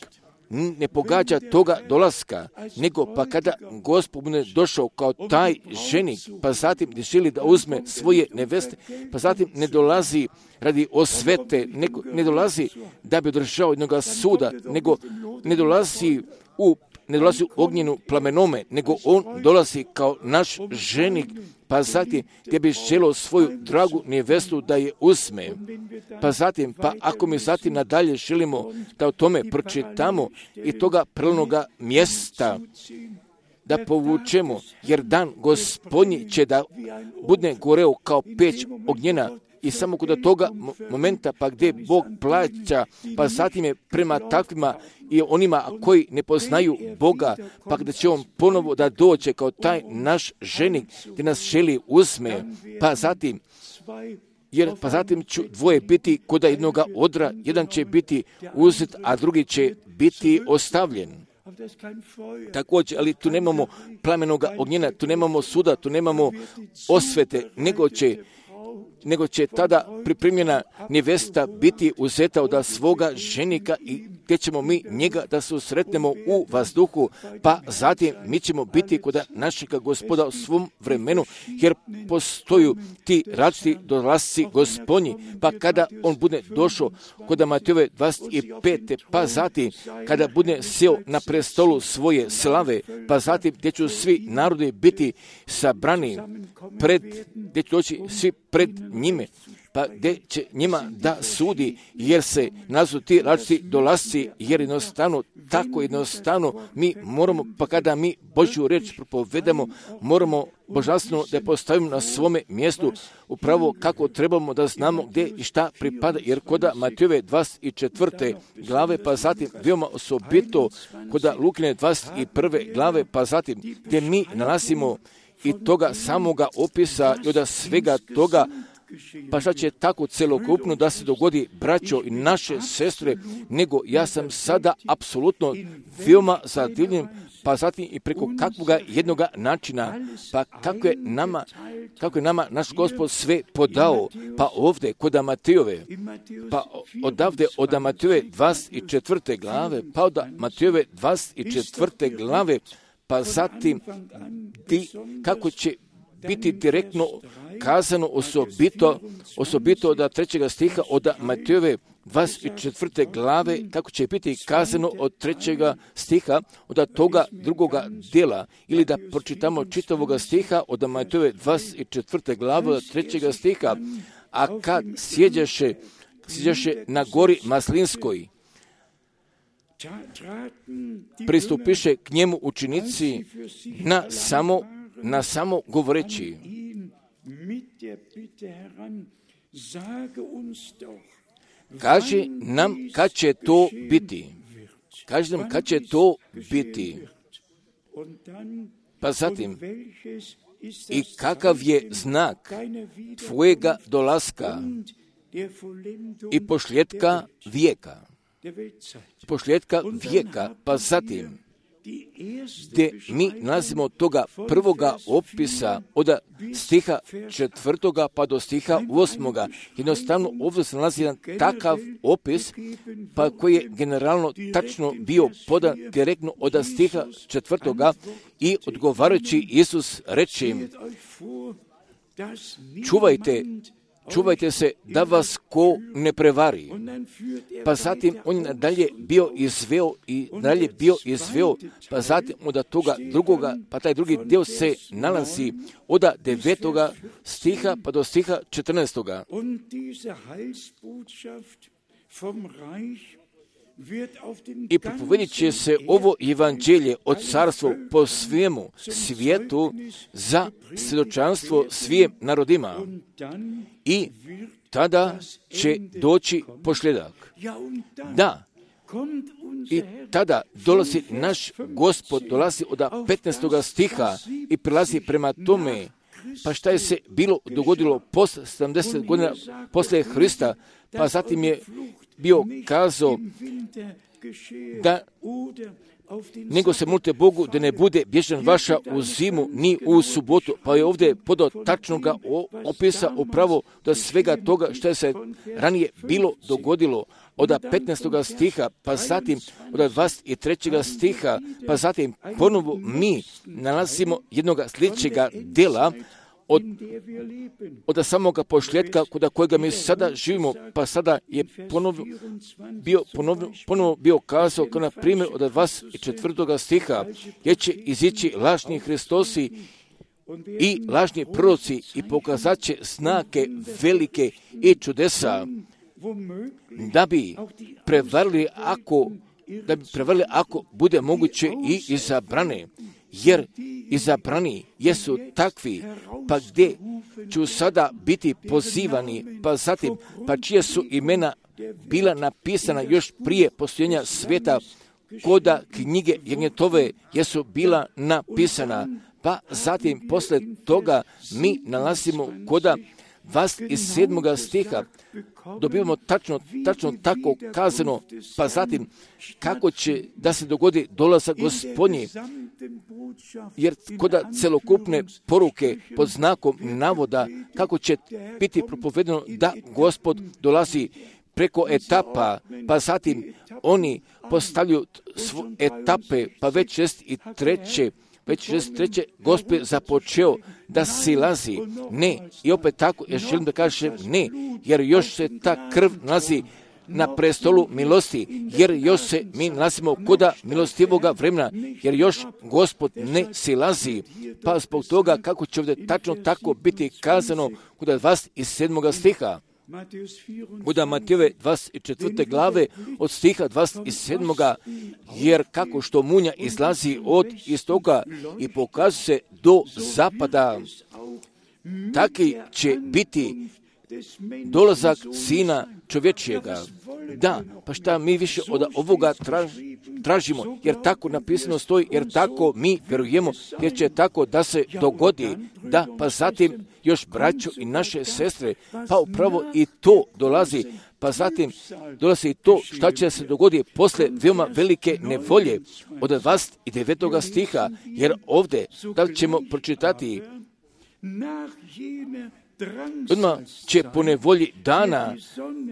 ne pogađa toga dolaska, nego pa kada Gospod bude došao kao taj ženik, pa zatim ne želi da uzme svoje neveste, pa zatim ne dolazi radi osvete, ne, ne dolazi da bi održao jednoga suda, nego ne dolazi u ne dolazi u ognjenu plamenome, nego on dolazi kao naš ženik, pa zatim gdje bi želio svoju dragu nevestu da je uzme. Pa zatim, pa ako mi zatim nadalje želimo da o tome pročitamo i toga prelnoga mjesta da povučemo, jer dan Gospodnji će da bude goreo kao peć ognjena, i samo kod toga momenta pa gdje Bog plaća, pa zatim je prema takvima i onima koji ne poznaju Boga, pa gdje će on ponovo da dođe kao taj naš ženik gdje nas želi uzme, pa zatim jer pa zatim će dvoje biti kod jednoga odra, jedan će biti uzet, a drugi će biti ostavljen. Također, ali tu nemamo plamenoga ognjena, tu nemamo suda, tu nemamo osvete, nego će nego će tada pripremljena nevesta biti uzeta od svoga ženika i gdje ćemo mi njega da se sretnemo u vazduhu, pa zatim mi ćemo biti kod našega Gospoda u svom vremenu, jer postoju ti različiti dolasci Gospodnji, pa kada on bude došao kod Matejove dvadeset pete, pa zatim kada bude sjeo na prestolu svoje slave, pa zatim gdje će svi narodi biti sabrani pred, gdje će doći svi pred njime, pa gdje će njima da sudi, jer se nazvu ti različiti dolasci, jer jednostavno, tako jednostavno, mi moramo, pa kada mi Božju riječ propovedamo, moramo božanstveno da je postavimo na svome mjestu, upravo kako trebamo da znamo gdje i šta pripada, jer koda Matejove dvadeset četvrte glave, pa zatim veoma osobito koda Lukine dvadeset prve glave, pa zatim gdje mi nalazimo i toga samoga opisa i od svega toga, pa šta će tako celokupno da se dogodi, braćo i naše sestre, nego ja sam sada apsolutno veoma zadivljen, pa zatim i preko kakvoga jednoga načina, pa kako je nama, kako je nama naš Gospod sve podao, pa ovdje kod Matejove, pa odavde od Matejove dvadeset četvrte glave, pa od Matejove dvadeset četvrte glave, pa zatim ti, kako će biti direktno kazano osobito, osobito od trećega stiha od Matejove dvadeset četvrte glave, kako će biti kazano od trećega stiha od toga drugoga dijela, ili da pročitamo čitavoga stiha od Matejove dvadeset četvrte glave od trećega stiha, a kad sjeđaše, sjeđaše na gori Maslinskoj, pristupiše k njemu učenici na samo, na samo govoreći: kaži nam kad će to biti. Kaži nam kad će to biti. Pa zatim, i kakav je znak tvojega dolaska i pošljetka vijeka. Pošljetka vijeka, pa zatim, gdje mi nalazimo toga prvoga opisa od stiha četvrtoga pa do stiha osmoga. Jednostavno ovdje se nalazi jedan takav opis, pa koji je generalno tačno bio podan direktno od stiha četvrtoga i odgovarajući Isus reče im: čuvajte, čuvajte se da vas ko ne prevari. Pa zatim on je nadalje bio izveo i nadalje bio izveo, pa zatim od toga drugoga, pa taj drugi dio se nalazi od devetoga stiha pa do stiha četrnaestoga. I propovedit će se ovo evanđelje od carstva po svemu svijetu za svjedočanstvo svim narodima. I tada će doći pošljedak. Da, i tada dolazi naš Gospod, dolazi od petnaestoga stiha i prilazi prema tome. Pa šta je se bilo dogodilo posle sedamdeset godina posle Hrista, pa zatim je bio kazao da nego se molite Bogu da ne bude bježan vaša u zimu ni u subotu. Pa je ovdje podao tačnoga opisa upravo do svega toga što je se ranije bilo dogodilo od petnaestoga stiha, pa zatim od dvadeset trećega stiha, pa zatim ponovo mi nalazimo jednog sljedećega dela od, od samoga pošljetka kod kojega mi sada živimo, pa sada je ponovo bio, ponovo, ponovo bio kazao, kao na primjer od dvadeset četvrtoga stiha, gdje će izići lažni Hristosi i lažni proroci i pokazat će znake velike i čudesa, da bi prevarili ako, da bi prevarili ako bude moguće i izabrane. Jer izabrani jesu takvi, pa gdje ću sada biti pozivani, pa zatim, pa čije su imena bila napisana još prije postojenja svijeta, koda knjige Jagnjetove jesu bila napisana, pa zatim posle toga mi nalazimo koda vas iz sedmoga stiha dobivamo tačno, tačno tako kazano, pa zatim kako će da se dogodi dolazak Gospodnji, jer koda celokupne poruke pod znakom navoda kako će biti propovedeno da Gospod dolazi preko etapa, pa zatim oni postavljaju svo etape, pa već šest i treće, već šest treće Gospod započeo da silazi. Ne, i opet tako, ja želim da kažem ne, jer još se ta krv nalazi na prestolu milosti, jer još se mi nalazimo koda milostivoga vremena, jer još Gospod ne silazi. Pa zbog toga kako će ovdje tačno tako biti kazano kod dvadeset sedmoga stiha. Kod Matejove dvadeset četvrte glave od stiha dvadeset sedmoga jer kako što munja izlazi od istoka i pokazuje se do zapada, taki će biti dolazak Sina čovječjega. Da, pa šta mi više od ovoga tražimo, jer tako napisano stoji, jer tako mi vjerujemo, jer će tako da se dogodi. Da, pa zatim još braćo i naše sestre, pa upravo i to dolazi, pa zatim dolazi i to šta će se dogoditi posle veoma velike nevolje od dvadeset devetoga stiha, jer ovdje da ćemo pročitati odmah će po nevolji dana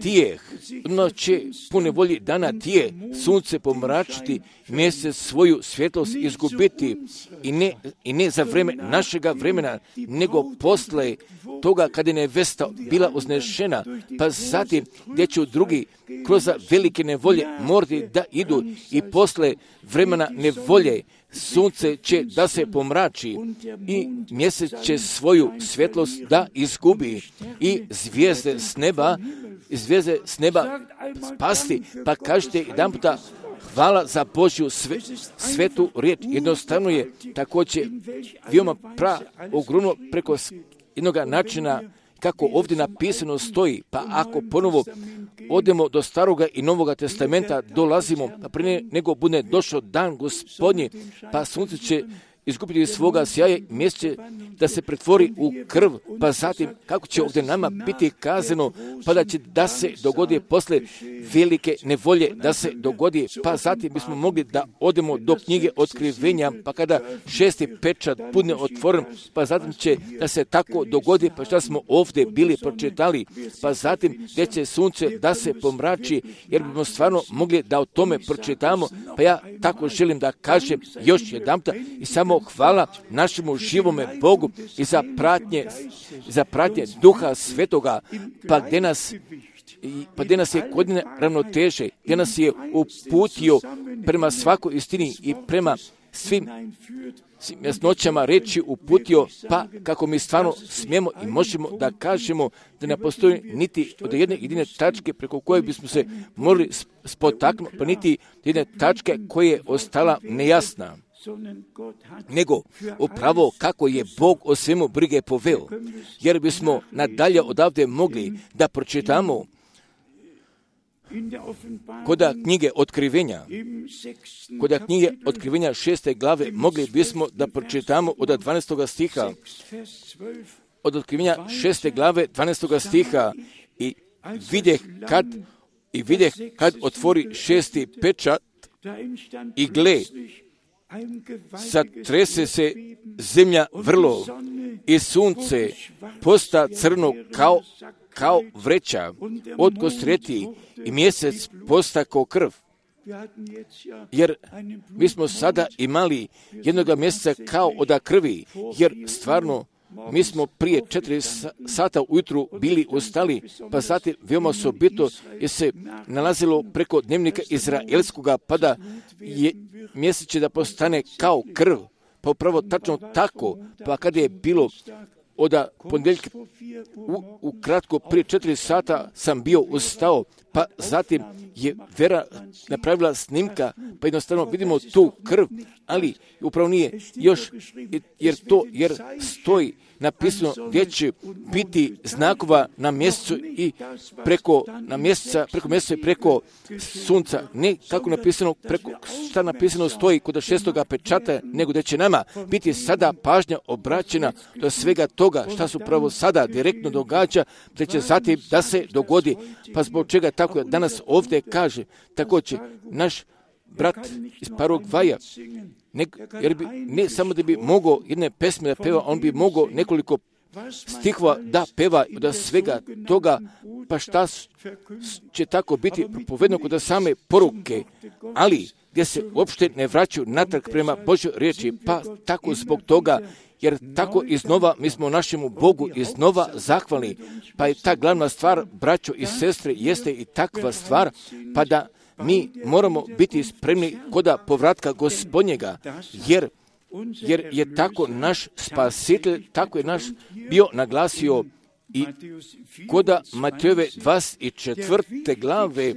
tijeh, odmah će po nevolji dana tije sunce pomračiti, mjesec svoju svjetlost izgubiti i ne, i ne za vreme našega vremena, nego posle toga kada je nevesta bila uznešena, pa zatim gdje će drugi kroz velike nevolje morati da idu i posle vremena nevolje sunce će da se pomrači i mjesec će svoju svjetlost da izgubi i zvijezde s neba, zvijezde s neba spasti, pa kažete jedan puta hvala za Božju sve, svetu riječ. Jednostavno je također veoma pra ogromno preko jednog načina kako ovdje napisano stoji, pa ako ponovo odemo do Staroga i Novoga testamenta, dolazimo, pa prije nego bude došao dan Gospodnji, pa sunce će izgubiti svoga sjaja, mjesec da se pretvori u krv, pa zatim kako će ovdje nama biti kazano, pa da će da se dogodi posle velike nevolje, da se dogodi, pa zatim bismo mogli da odemo do knjige Otkrivenja, pa kada šesti pečat bude otvoren, pa zatim će da se tako dogodi, pa šta smo ovdje bili pročitali, pa zatim gdje će sunce da se pomrači, jer bismo stvarno mogli da o tome pročitamo, pa ja tako želim da kažem još jedanputa i samo hvala našemu živome Bogu i za pratnje, za pratnje Duha Svetoga, pa gdje nas pa gdje nas je godine ravnoteže, gdje nas je uputio prema svakoj istini i prema svim jasnoćama reći uputio, pa kako mi stvarno smijemo i možemo da kažemo da ne postoji niti od jedne jedine tačke preko koje bismo se morali spotaknuti, pa niti jedne tačke koja je ostala nejasna, nego upravo kako je Bog o svemu brige poveo, jer bismo nadalje odavde mogli da pročitamo koda knjige Otkrivenja, koda knjige Otkrivenja šeste glave, mogli bismo da pročitamo od dvanaestog stiha, od Otkrivenja šeste glave, dvanaestog stiha, i videh kad, i videh kad otvori šesti pečat, i gle, zatrese se zemlja vrlo, i sunce posta crno kao kao vreća od kostreti, i mjesec posta kao krv. Jer mi smo sada imali jednoga mjeseca kao od krvi, jer stvarno mi smo prije četiri sata ujutru bili ustali, pa zatim veoma osobito je se nalazilo preko dnevnika izraelskoga, pa da je mjesec će da postane kao krv. Pa upravo tačno tako, pa kada je bilo od ponedjeljka u, u kratko prije četiri sata sam bio ustao, pa zatim je Vera napravila snimka, pa jednostavno vidimo tu krv, ali upravo nije još, jer to, jer stoji napisano gdje će biti znakova na mjesecu i preko na mjeseca, preko mjeseca i preko sunca. Ne kako napisano, preko šta napisano stoji kod šestoga pečata, nego da će nama biti sada pažnja obraćena do svega toga šta se upravo sada direktno događa, da će zatim da se dogodi. Pa zbog čega tako danas ovdje kaže, također naš brat iz Paragvaja, ne, jer bi, ne samo da bi mogao jedne pesme da peva, on bi mogao nekoliko stihova da peva od svega toga, pa šta će tako biti propovedno kod same poruke, ali gdje se uopšte ne vraćaju natrag prema Božoj riječi, pa tako zbog toga, jer tako iznova mi smo našemu Bogu iznova zahvalni, pa je ta glavna stvar, braćo i sestre, jeste i takva stvar, pa da mi moramo biti spremni koda povratka Gospodnjega, jer, jer je tako naš spasitelj, tako je naš bio naglasio i koda Matejove dvadeset četvrte glave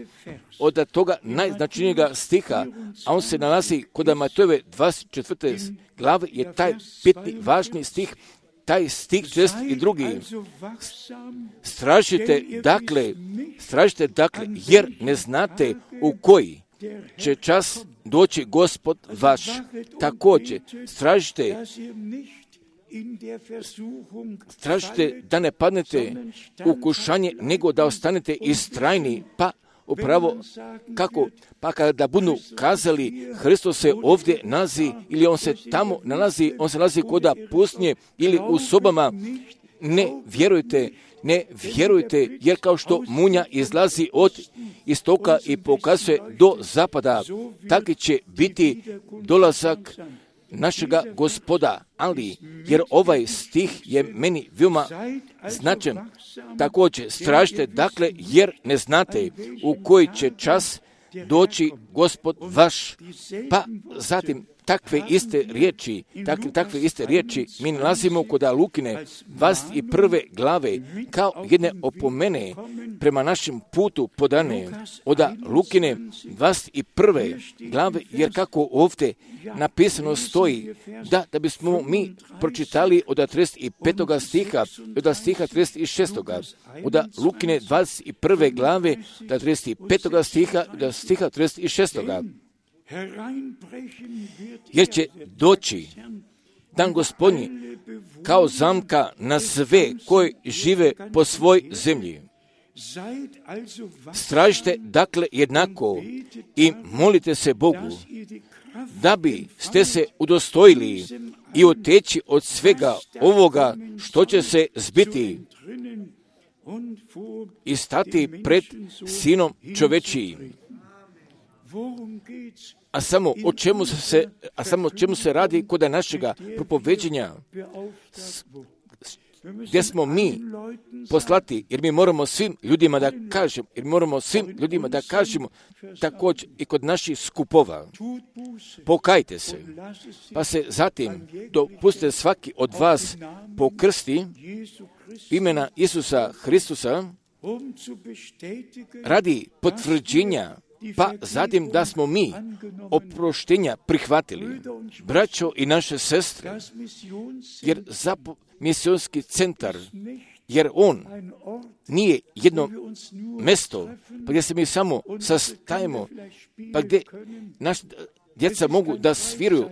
od toga najznačajnijega stiha, a on se nalazi koda Matejove dvadeset četvrte glave, je taj bitni, važni stih, taj stih šest i drugi. Stražite dakle, stražite dakle, jer ne znate u koji će čas doći Gospod vaš. Također, stražite, stražite da ne padnete u kušanje, nego da ostanete istrajni, pa upravo kako, pa kada budu kazali Hristos se ovdje nalazi ili on se tamo nalazi, on se nalazi koda pustinje ili u sobama, ne vjerujte, ne vjerujte, jer kao što munja izlazi od istoka i pokazuje do zapada, tako će biti dolazak našega Gospoda, ali jer ovaj stih je meni veoma značajan. Također, stražite dakle, jer ne znate u koji će čas doći Gospod vaš, pa zatim takve iste riječi, takve, takve iste riječi mi nalazimo kod Lukine dvadeset prve glave kao jedne opomene prema našem putu podane od Lukine dvadeset prve glave, jer kako ovdje napisano stoji da, da bismo mi pročitali od trideset petog stiha, od stiha trideset šestog od Lukine dvadeset prve glave, od trideset petog stiha, od stiha trideset šestog jer će doći dan Gospodnji kao zamka na sve koji žive po svoj zemlji. Stražite dakle jednako i molite se Bogu, da bi ste se udostojili i oteći od svega ovoga što će se zbiti i stati pred Sinom čovečijim. a samo o čemu se, a samo o čemu se radi kod našega propoveđenja, gdje smo mi poslati, jer mi moramo svim ljudima da kažemo, jer moramo svim ljudima da kažemo, također i kod naših skupova, pokajte se, pa se zatim dopustite svaki od vas pokrsti imena Isusa Hristusa radi potvrđenja, pa zatim da smo mi oproštenja prihvatili, braćo i naše sestre, jer za misionski centar, jer on nije jedno mesto, pa gdje se mi samo sastajemo, pa gdje naš djeca mogu da sviruju,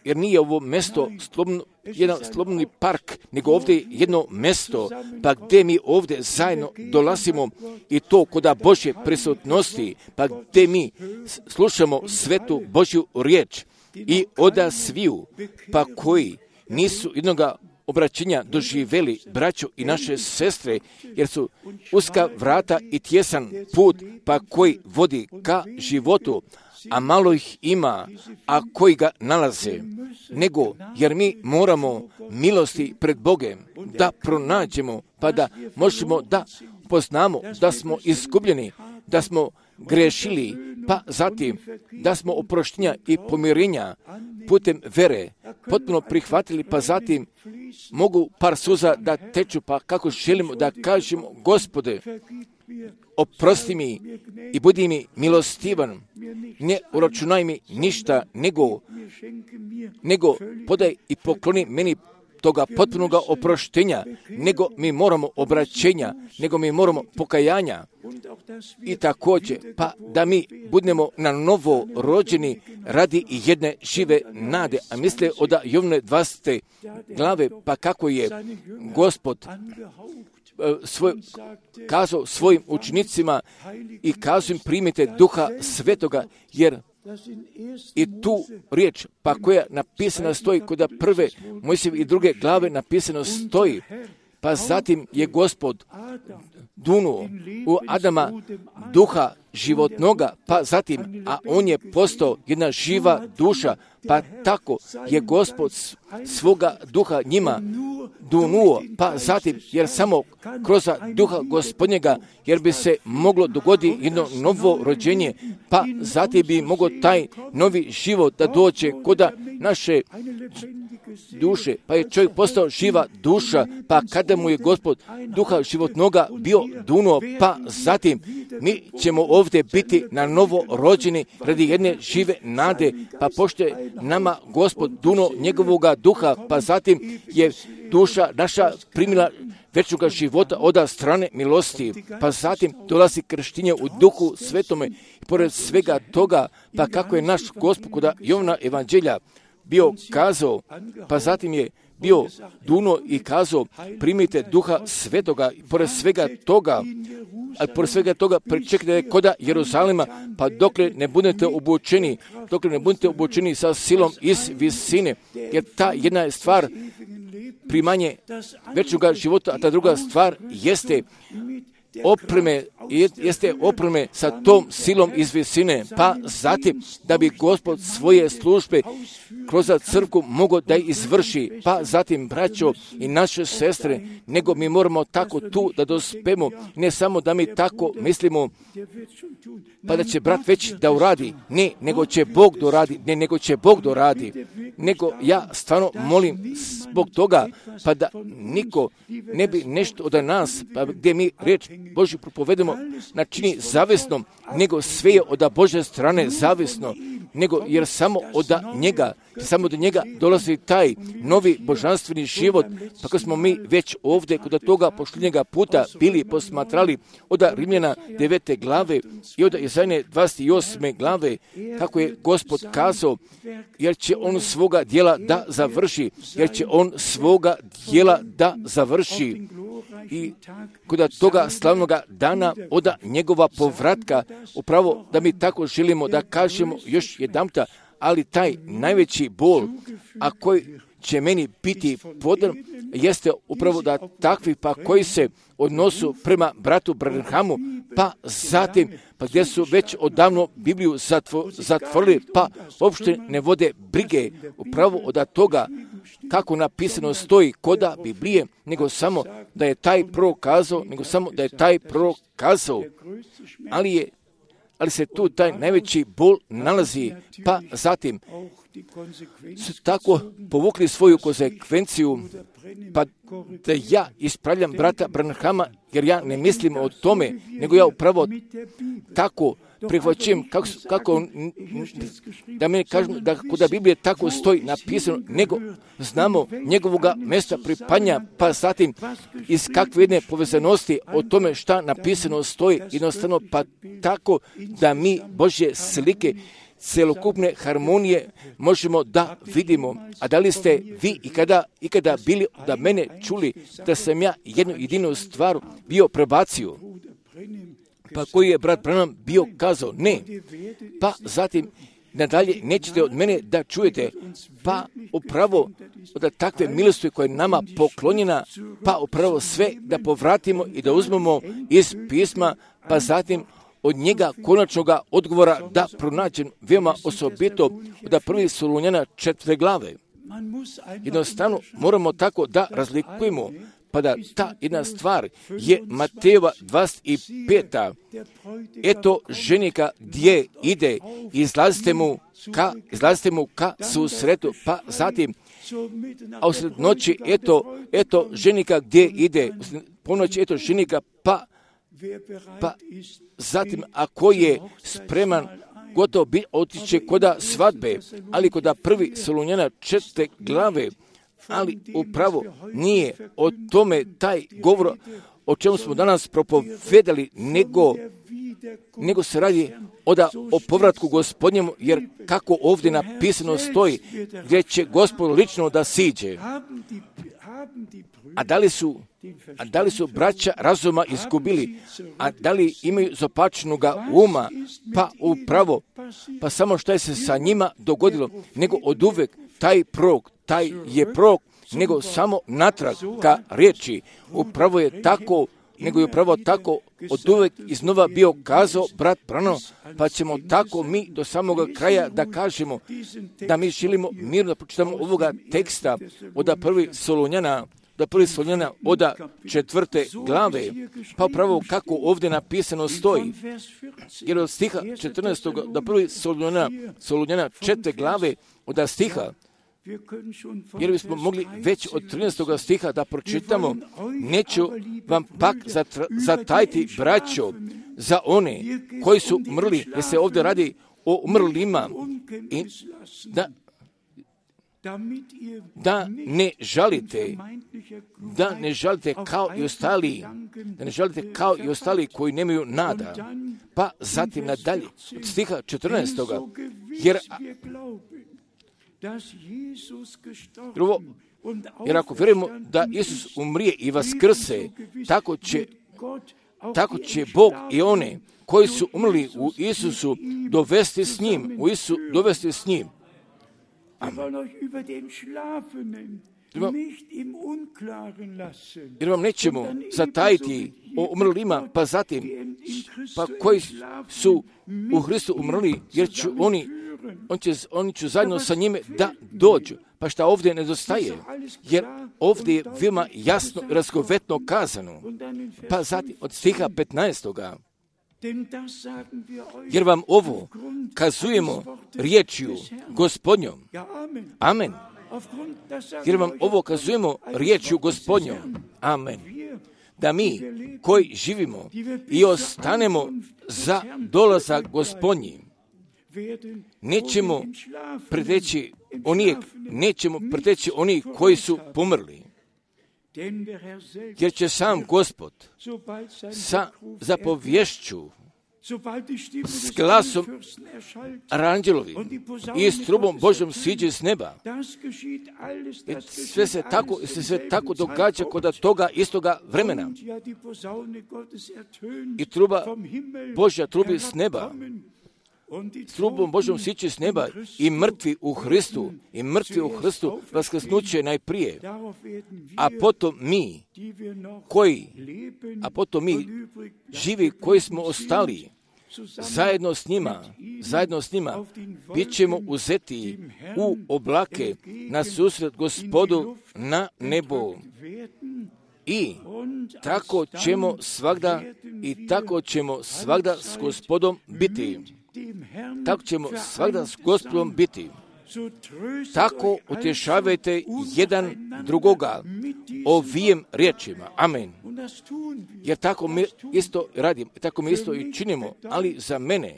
jer nije ovo mesto slobodno, jedan slobodni park, nego ovdje je jedno mesto, pa gdje mi ovdje zajedno dolazimo i to koda Božje prisutnosti, pa gdje mi slušamo svetu Božju riječ i oda sviju, pa koji nisu jednoga obraćenja doživjeli, braćo i naše sestre, jer su uska vrata i tjesan put, pa koji vodi ka životu, a malo ih ima, a koji ga nalaze, nego jer mi moramo milosti pred Bogem da pronađemo, pa da možemo da poznamo da smo izgubljeni, da smo grešili, pa zatim da smo oproštenja i pomirenja putem vere potpuno prihvatili, pa zatim mogu par suza da teču, pa kako želimo da kažemo, Gospode, oprosti mi i budi mi milostivan, ne uračunaj mi ništa, nego, nego podaj i pokloni meni toga potpunoga oproštenja, nego mi moramo obraćenja, nego mi moramo pokajanja. I također, pa da mi budemo na novo rođeni radi i jedne žive nade. A misle od Jovne dvadesete glave, pa kako je Gospod svoj, kazao svojim učenicima i kazao im primite Duha Svetoga, jer i tu riječ, pa koja napisana stoji kod prve Mojsijeve i druge glave napisano stoji, pa zatim je Gospod dunuo u Adama duha životnoga, pa zatim, a on je postao jedna živa duša, pa tako je Gospod svoga duha njima dunuo, pa zatim, jer samo kroz duha Gospodnjega, jer bi se moglo dogoditi jedno novo rođenje, pa zatim bi mogao taj novi život da dođe kod naše duše, pa je čovjek postao živa duša, pa kada mu je Gospod duha životnoga bio dunuo, pa zatim mi ćemo ovdje biti na novo rođeni radi jedne žive nade, pa pošto je nama Gospod dunuo njegovoga duha, pa zatim je duša naša primila večnoga života od strane milosti, pa zatim dolazi krštenje u duhu svetome i pored svega toga, pa kako je naš Gospod kod Jovna evanđelja bio kazao, pa zatim je bio duno i kazao, primite duha svetoga, i pored svega toga, a pored svega toga pričekajte koda Jeruzalema, pa dokle ne budete obučeni, dokle ne budete obučeni sa silom iz visine, jer ta jedna je stvar primanje večnoga života, a ta druga stvar jeste opreme, jeste opreme sa tom silom iz visine, pa zatim da bi Gospod svoje službe kroz crkvu mogao da izvrši, pa zatim braćo i naše sestre, nego mi moramo tako tu da dospemo, ne samo da mi tako mislimo, pa da će brat već da uradi, ne, nego će Bog doradi, ne, nego će Bog doradi, nego ja stvarno molim zbog toga, pa da niko ne bi nešto od nas, pa gdje mi reč Božju propovedemo načini zavisnom, nego sve je od Božje strane zavisno, nego jer samo od njega, samo do njega dolazi taj novi božanstveni život, pa kad smo mi već ovdje kod toga pošljenjega puta bili posmatrali od Rimljana devete glave i od Jesaje dvadeset osme glave, kako je Gospod kazao, jer će on svoga djela da završi, jer će on svoga djela da završi. I kod toga slavnoga dana od njegova povratka, upravo da mi tako želimo da kažemo još jedanputa, ali taj najveći bol, a koji će meni biti podan, jeste upravo da takvi pa koji se odnosu prema bratu Branhamu, pa zatim, pa gdje su već odavno Bibliju zatvo, zatvorili, pa uopšte ne vode brige upravo od toga kako napisano stoji koda Biblije, nego samo da je taj prorok kazao, nego samo da je taj prorok kazao, ali je ali se tu taj najveći bol nalazi, pa zatim su tako povukli svoju konsekvenciju, pa da ja ispravljam brata Branhama, jer ja ne mislim o tome, nego ja upravo tako prihvaćujem kako, kako da meni kažem da kuda Biblije tako stoji napisano, nego znamo njegovoga mjesta pripanja, pa zatim iz kakve jedne povezanosti o tome šta napisano stoji, jednostavno pa tako da mi Božje slike celokupne harmonije možemo da vidimo. A da li ste vi ikada, ikada bili da mene čuli da sam ja jednu jedinu stvar bio prebacio? Pa koji je brat Branham bio kazao? Ne. Pa zatim nadalje nećete od mene da čujete, pa upravo od takve milosti koja je nama poklonjena, pa upravo sve da povratimo i da uzmemo iz pisma, pa zatim od njega konačnoga odgovora da pronađem veoma osobito od prvi Solunjana četvrte glave. Jednostavno moramo tako da razlikujemo, pa da ta jedna stvar je Matejeva dvadeset peta. Eto ženika gdje ide, izlazite mu ka, izlazite mu ka susretu, pa zatim, a usred noći, eto, eto ženika gdje ide, ponoći, eto ženika, pa, pa zatim, ako je spreman, gotovo bi otiće koda svadbe, ali koda prvi Solunjana četvrte glave, ali upravo nije o tome taj govor o čemu smo danas propovedali, nego, nego se radi oda o povratku Gospodnjemu, jer kako ovdje napisano stoji, gdje će Gospod lično da siđe. A da li su, a da li su braća razuma izgubili, a da li imaju zopačnoga uma, pa upravo, pa samo što je se sa njima dogodilo, nego od uvek taj prorok, taj je prorok, nego samo natrag ka riječi. Upravo je tako, nego je upravo tako od uvek iznova bio kazao brat Branham, pa ćemo tako mi do samoga kraja da kažemo da mi želimo mirno da pročitamo ovoga teksta od prvi Solunjana, da prvi Solunjana od četvrte glave, pa upravo kako ovdje napisano stoji. Jer od stiha četrnaestog da prvi Solunjana, Solunjana četvrte glave od stiha, jer bismo mogli već od trinaestog stiha da pročitamo, neću vam pak zatajiti, braćo, za one koji su umrli, jer se ovdje radi o umrlima, i da, da ne žalite, da ne žalite kao i ostali, da ne žalite kao i ostali koji nemaju nada. Pa zatim nadalje, od stiha četrnaestog jer Drugo, jer ako vjerujemo da Isus umrije i vaskrse, tako će, tako će Bog i one koji su umrli u Isusu dovesti s njim, u Isusu dovesti s njim. Jer vam nećemo zatajiti o umrlima, pa zatim, pa koji su u Hristu umrli, jer će oni On će, oni će zajedno sa njime da dođu. Pa šta ovdje nedostaje? Jer ovdje je veoma jasno i razgovetno kazano. Pa zatim od stiha petnaestog jer vam ovo kazujemo riječju Gospodnjom. Amen. Jer vam ovo kazujemo riječju Gospodnjom. Amen. Da mi koji živimo i ostanemo za dolazak Gospodnji, nećemo preteći onih, nećemo preteći onih koji su pomrli. Jer će sam Gospod sa zapovješću, s glasom aranđelovi i s trubom Božjom siđe s neba. I sve se tako, se sve tako događa kod toga istoga vremena. I truba Božja trubi s neba. s trubom Božom sići s neba i mrtvi u Hristu, i mrtvi u Hristu vaskrsnuće najprije, a potom mi, koji, a potom mi, živi koji smo ostali, zajedno s njima, zajedno s njima, bit ćemo uzeti u oblake na susret Gospodu na nebo. I tako ćemo svagda, i tako ćemo svagda s Gospodom biti. Tako ćemo svagda s Gospodom biti. Tako utješavajte jedan drugoga ovijem riječima. Amen. Jer tako mi isto radimo, tako mi isto i činimo, ali za mene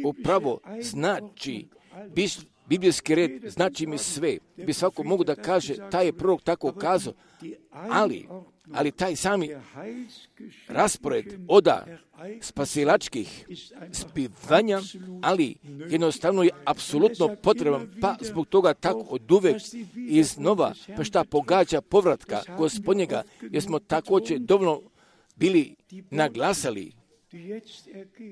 upravo znači, biblijski red znači mi sve. Bi svako mogu da kaže, taj je prorok tako kazao, ali, ali taj sami raspored oda spasilačkih spivanja, ali jednostavno je apsolutno potreban, pa zbog toga tako od uvek iznova, pa šta pogađa povratka Gospodnjega, jer smo također dovoljno bili naglasali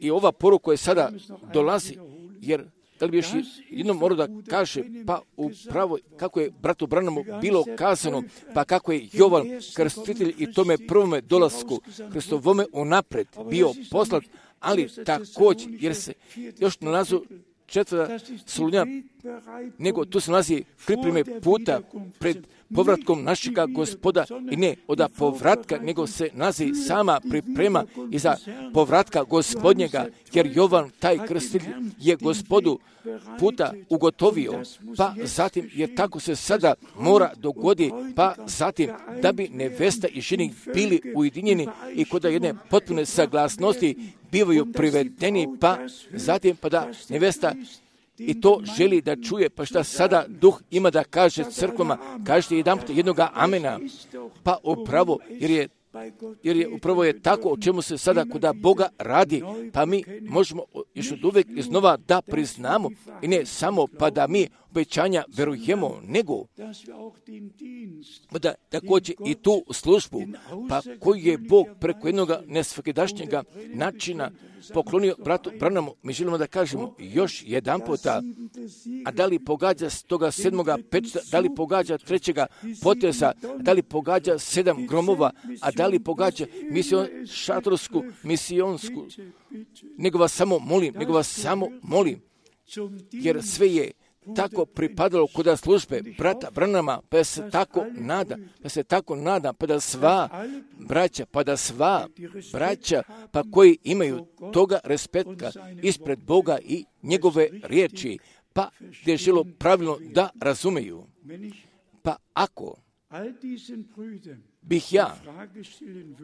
i ova poruka je sada dolazi, jer da li bi još jednom morao da kaže, pa upravo kako je bratu Branamu bilo kazano, pa kako je Jovan krstitelj i tome prvome dolasku Hristovome unapred bio poslat, ali također, jer se još nalazu četvrta Solunja, nego tu se nalazi pripreme puta pred povratkom našega Gospoda i ne od povratka, nego se nalazi sama priprema i za povratka Gospodnjega, jer Jovan, taj krstitelj, je Gospodu puta ugotovio, pa zatim, jer tako se sada mora dogodi, pa zatim, da bi nevesta i ženik bili ujedinjeni i kod jedne potpune saglasnosti bivaju privedeni, pa zatim, pa da nevesta i to želi da čuje, pa šta sada Duh ima da kaže crkvama, kažete jedan put jednoga amena, pa upravo, jer je jer je upravo je tako o čemu se sada kod Boga radi, pa mi možemo još od uvek iznova da priznamo i ne samo pa da mi obećanja verujemo, nego da također i tu službu, pa koju je Bog preko jednog nesvakidašnjega načina poklonio bratu Branamu, mi želimo da kažemo još jedan puta, a da li pogađa s toga sedmoga pečeta, da li pogađa trećega poteza, da li pogađa sedam gromova, a da li pogađa mision, šatorsku, misionsku, nego vas samo molim, nego vas samo molim, jer sve je tako pripadalo kod službe brata Branama, pa ja se tako nada, pa se tako nada, pa da sva braća, pa da sva braća, pa koji imaju toga respekta ispred Boga i njegove riječi, pa gdje želo pravilno da razumeju. Pa ako bih ja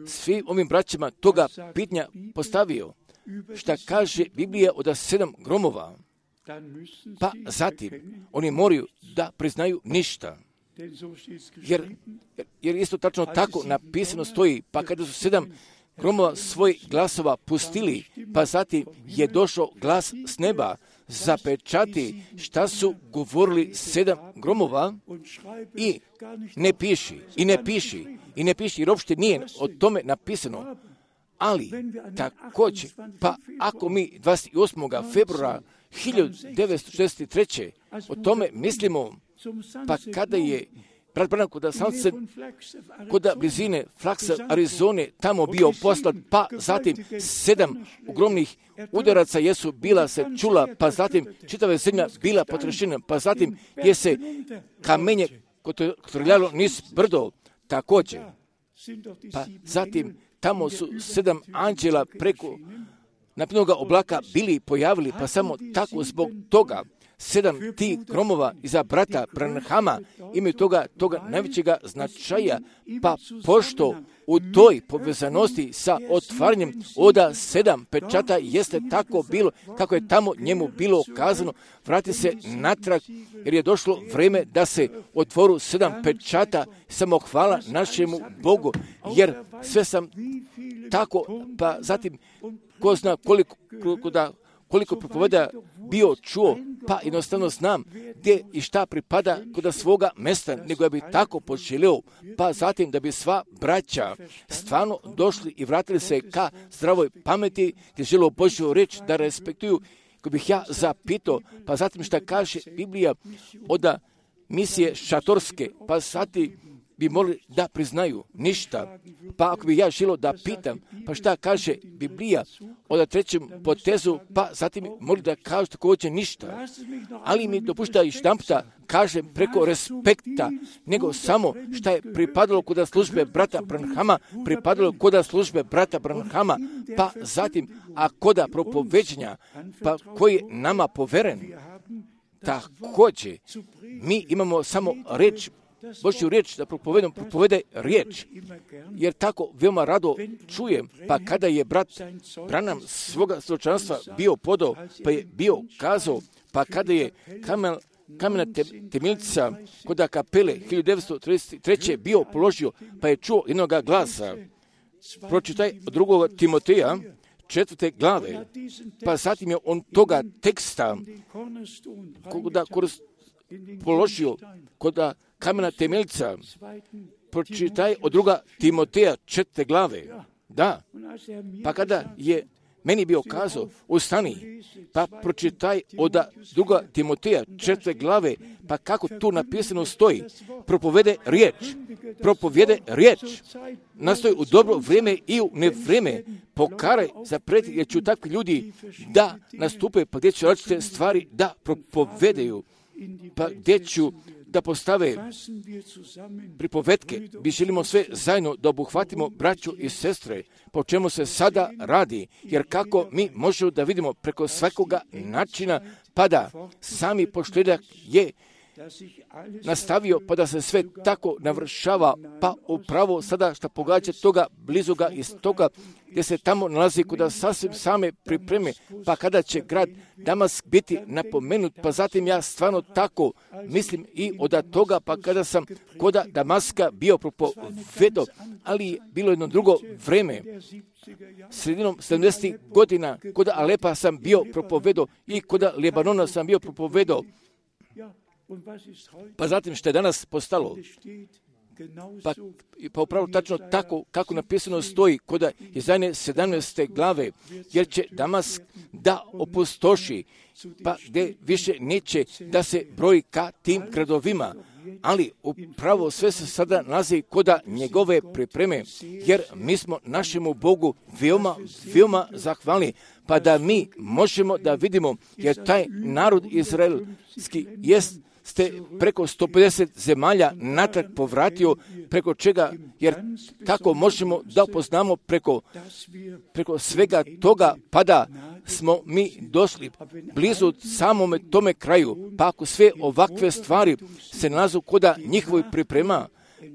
svim ovim braćama toga pitanja postavio, šta kaže Biblija od sedam gromova, pa zatim oni moraju da priznaju ništa. Jer, jer isto tačno tako napisano stoji, pa kada su sedam gromova svoj glasova pustili, pa zatim je došao glas s neba, zapečati šta su govorili sedam gromova i ne piši, i ne piši, i ne piši, jer uopšte nije o tome napisano. Ali također, pa ako mi dvadeset osmog februara hiljadu devetsto šezdeset treće o tome mislimo, pa kada je brat Branham kod Sunset, kod blizine Flaksa, Arizone, tamo bio poslat, pa zatim sedam ogromnih udaraca jesu bila se čula, pa zatim čitava zemlja bila potrešena, pa zatim je se kamenje kotrljalo niz brdo također. Pa zatim tamo su sedam anđela preko naprednoga oblaka bili pojavili, pa samo tako zbog toga sedam tih gromova iza brata Branhama imaju toga, toga najvećega značaja, pa pošto u toj povezanosti sa otvaranjem oda sedam pečata jeste tako bilo, kako je tamo njemu bilo kazano, vrati se natrag, jer je došlo vreme da se otvoru sedam pečata, samo hvala našemu Bogu, jer sve sam tako, pa zatim ko zna koliko, koliko da koliko propoveda bio čuo, pa jednostavno znam gdje i šta pripada kod svoga mesta, nego ja bi tako poželio, pa zatim da bi sva braća stvarno došli i vratili se ka zdravoj pameti, gdje žele Božju reč da respektuju koji bih ja zapitao, pa zatim šta kaže Biblija od misije šatorske, pa zatim bi mogli da priznaju ništa. Pa ako bi ja želio da pitam, pa šta kaže Biblija od trećem potezu, pa zatim mogli da kažu također ništa. Ali mi dopušta i štamputa, kažem preko respekta, nego samo šta je pripadalo kod službe brata Branhama, pripadalo kod službe brata Branhama, pa zatim, a kod propoveđenja, pa koji je nama poveren. Također, mi imamo samo reč, Božju riječ da propovedom propovede riječ, jer tako veoma rado čujem, pa kada je brat Branham svoga svjedočanstva bio podao, pa je bio kazao, pa kada je kamen, kamena temeljca kod kapele hiljadu devetsto trideset treće bio položio, pa je čuo jednoga glasa. Pročitaj od drugog Timoteja, četvrte glave, pa zatim je on toga teksta koda položio kod kamena temeljca, pročitaj od druga Timoteja četvrte glave. Da, pa kada je meni bio kazao, ustani, pa pročitaj od druga Timoteja četvrte glave, pa kako tu napisano stoji, propovede riječ, propovede riječ, nastoji u dobro vrijeme i u nevrijeme, pokaraj za pred, jer ću takvi ljudi da nastupe, pa gdje će različite stvari da propovedaju, pa gdje ću da postave pripovetke. Mi želimo sve zajedno da obuhvatimo braću i sestre, po čemu se sada radi, jer kako mi možemo da vidimo preko svakoga načina, pa da sami pošljedak je nastavio, pa da se sve tako navršava, pa upravo sada što pogađa toga blizuga iz toga gdje se tamo nalazi kuda sasvim same pripreme, pa kada će grad Damask biti napomenut, pa zatim ja stvarno tako mislim i od toga, pa kada sam koda Damaska bio propovedo, ali bilo jedno drugo vreme, sredinom sedamdesetih godina, kod Alepa sam bio propovedo i kod Libanona sam bio propovedo. Pa zatim što je danas postalo, pa, pa upravo tačno tako kako napisano stoji kod Izaije sedamnaeste glave, jer će Damask da opustoši, pa gdje više neće da se broji ka tim gradovima, ali upravo sve se sada nalazi kod njegove pripreme, jer mi smo našemu Bogu veoma, veoma zahvalni, pa da mi možemo da vidimo, jer taj narod izraelski jest ste preko sto pedeset zemalja natrag povratio, preko čega, jer tako možemo da upoznamo preko, preko svega toga, pa da smo mi došli blizu samome tome kraju, pa ako sve ovakve stvari se nalazu koda njihovoj priprema,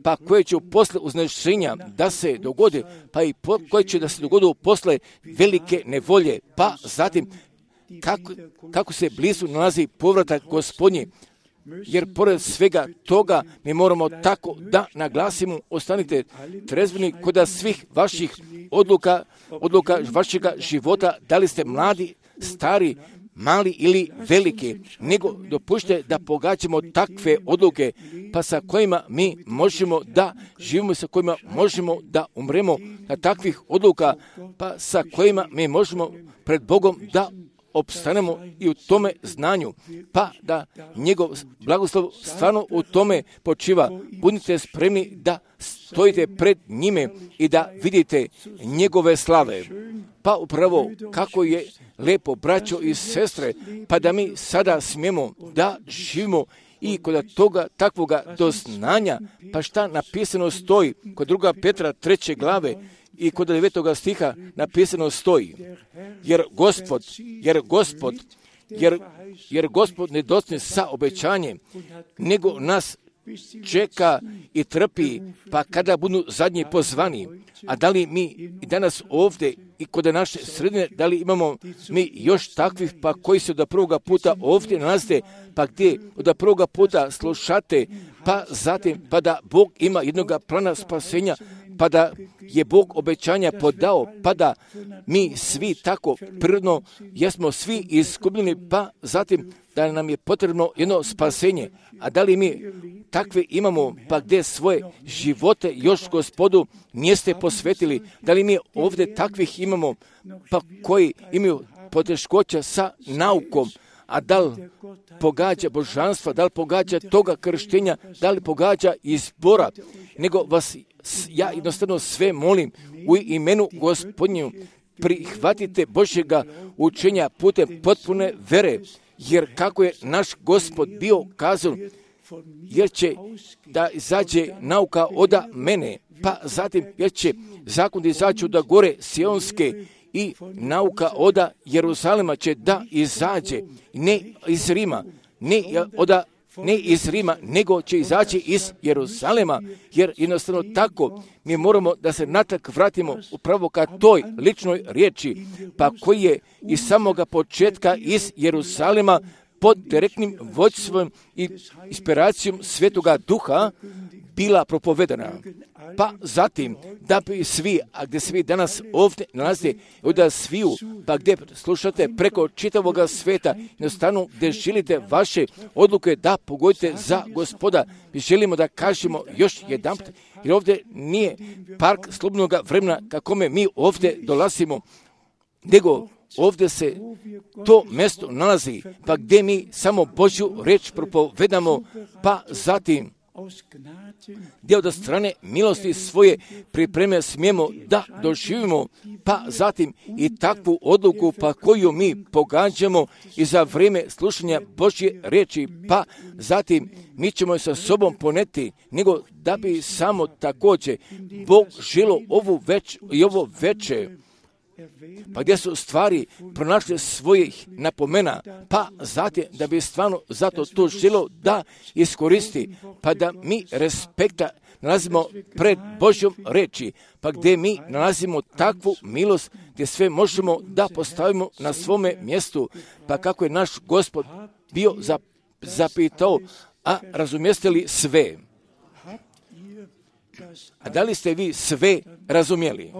pa koje će posle uznešenja da se dogode, pa i po, koje će da se dogode posle velike nevolje, pa zatim kako, kako se blizu nalazi povratak Gospodnji, jer pored svega toga mi moramo tako da naglasimo, ostanite trezveni kod svih vaših odluka, odluka vašega života, da li ste mladi, stari, mali ili veliki, nego dopušte da pogađamo takve odluke, pa sa kojima mi možemo da živimo, sa kojima možemo da umremo, na takvih odluka, pa sa kojima mi možemo pred Bogom da opstanemo i u tome znanju, pa da njegov blagoslov stvarno u tome počiva. Budite spremni da stojite pred njime i da vidite njegove slave. Pa upravo kako je lepo, braćo i sestre, pa da mi sada smijemo da živimo i kod toga takvoga doznanja, pa šta napisano stoji kod druga Petra treće glave, i kod devetoga stiha napisano stoji, jer Gospod, jer Gospod, jer, jer Gospod ne dostigne sa obećanjem, nego nas čeka i trpi, pa kada budu zadnji pozvani. A da li mi i danas ovdje i kod naše sredine, da li imamo mi još takvih, pa koji se od prvoga puta ovdje nalaze, pa gdje od prvoga puta slušate, pa zatim, pa da Bog ima jednoga plana spasenja, pa da je Bog obećanja podao, pa da mi svi tako prirodno jesmo svi izgubljeni, pa zatim da nam je potrebno jedno spasenje. A da li mi takve imamo, pa gdje svoje živote još Gospodu niste posvetili? Da li mi ovdje takvih imamo, pa koji imaju poteškoća sa naukom, a da li pogađa božanstva, da li pogađa toga krštenja, da li pogađa izbora, nego vas ja jednostavno sve molim u imenu Gospodnju, prihvatite Božjega učenja putem potpune vere, jer kako je naš Gospod bio kazao, jer će da izađe nauka oda mene, pa zatim jer će zakon da izađe od gore Sionske i nauka oda Jeruzalema će da izađe, ne iz Rima, ne oda ne iz Rima, nego će izaći iz Jeruzalema, jer jednostavno tako mi moramo da se natak vratimo upravo ka toj ličnoj riječi, pa koji je iz samoga početka iz Jeruzalema pod direktnim vođstvom i inspiracijom Svetoga Duha bila propovedana. Pa zatim, da bi svi, a gdje svi danas ovdje nalaze, da sviju, pa gdje slušate preko čitavoga sveta, jednostavno gdje želite vaše odluke da pogodite za Gospoda, mi želimo da kažemo još jedan put, jer ovdje nije park slobodnog vremena kakome mi ovdje dolazimo, nego ovdje se to mjesto nalazi, pa gdje mi samo Božju riječ propovedamo, pa zatim gdje od strane milosti svoje pripreme smijemo da doživimo, pa zatim i takvu odluku pa koju mi pogađamo i za vrijeme slušanja Božje riječi, pa zatim mi ćemo je sa sobom poneti, nego da bi samo također Bog želo ovu već i ovo veče, pa gdje su stvari pronašle svojih napomena, pa zatim da bi stvarno zato to želo da iskoristi, pa da mi respekta nalazimo pred Božjom reči, pa gdje mi nalazimo takvu milost gdje sve možemo da postavimo na svome mjestu, pa kako je naš Gospod bio zapitao, a razumijeste li sve? A da li ste vi sve razumjeli?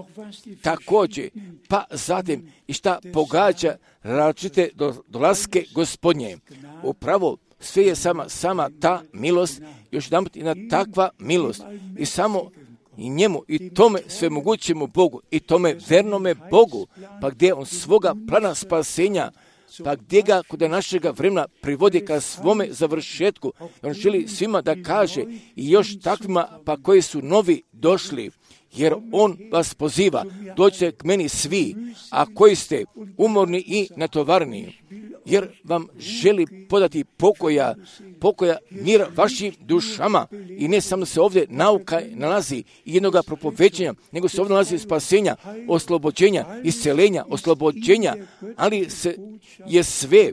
Također, pa zatim i šta pogađa različite dolaske Gospodnje. Upravo sve je sama, sama ta milost, još jedan put i na takva milost. I samo i njemu, i tome svemogućemu Bogu, i tome vernome Bogu, pa gdje on svoga plana spasenja, pa gdje ga kod našega vremena privodi ka svome završetku. On želi svima da kaže i još takvima pa koji su novi došli, jer on vas poziva, dođite k meni svi, a koji ste umorni i natovarni, jer vam želi podati pokoja, pokoja mira vašim dušama. I ne samo se ovdje nauka nalazi i jednoga propoveđenja, nego se ovdje nalazi spasenja, oslobođenja, iscelenja, oslobođenja, ali se je sve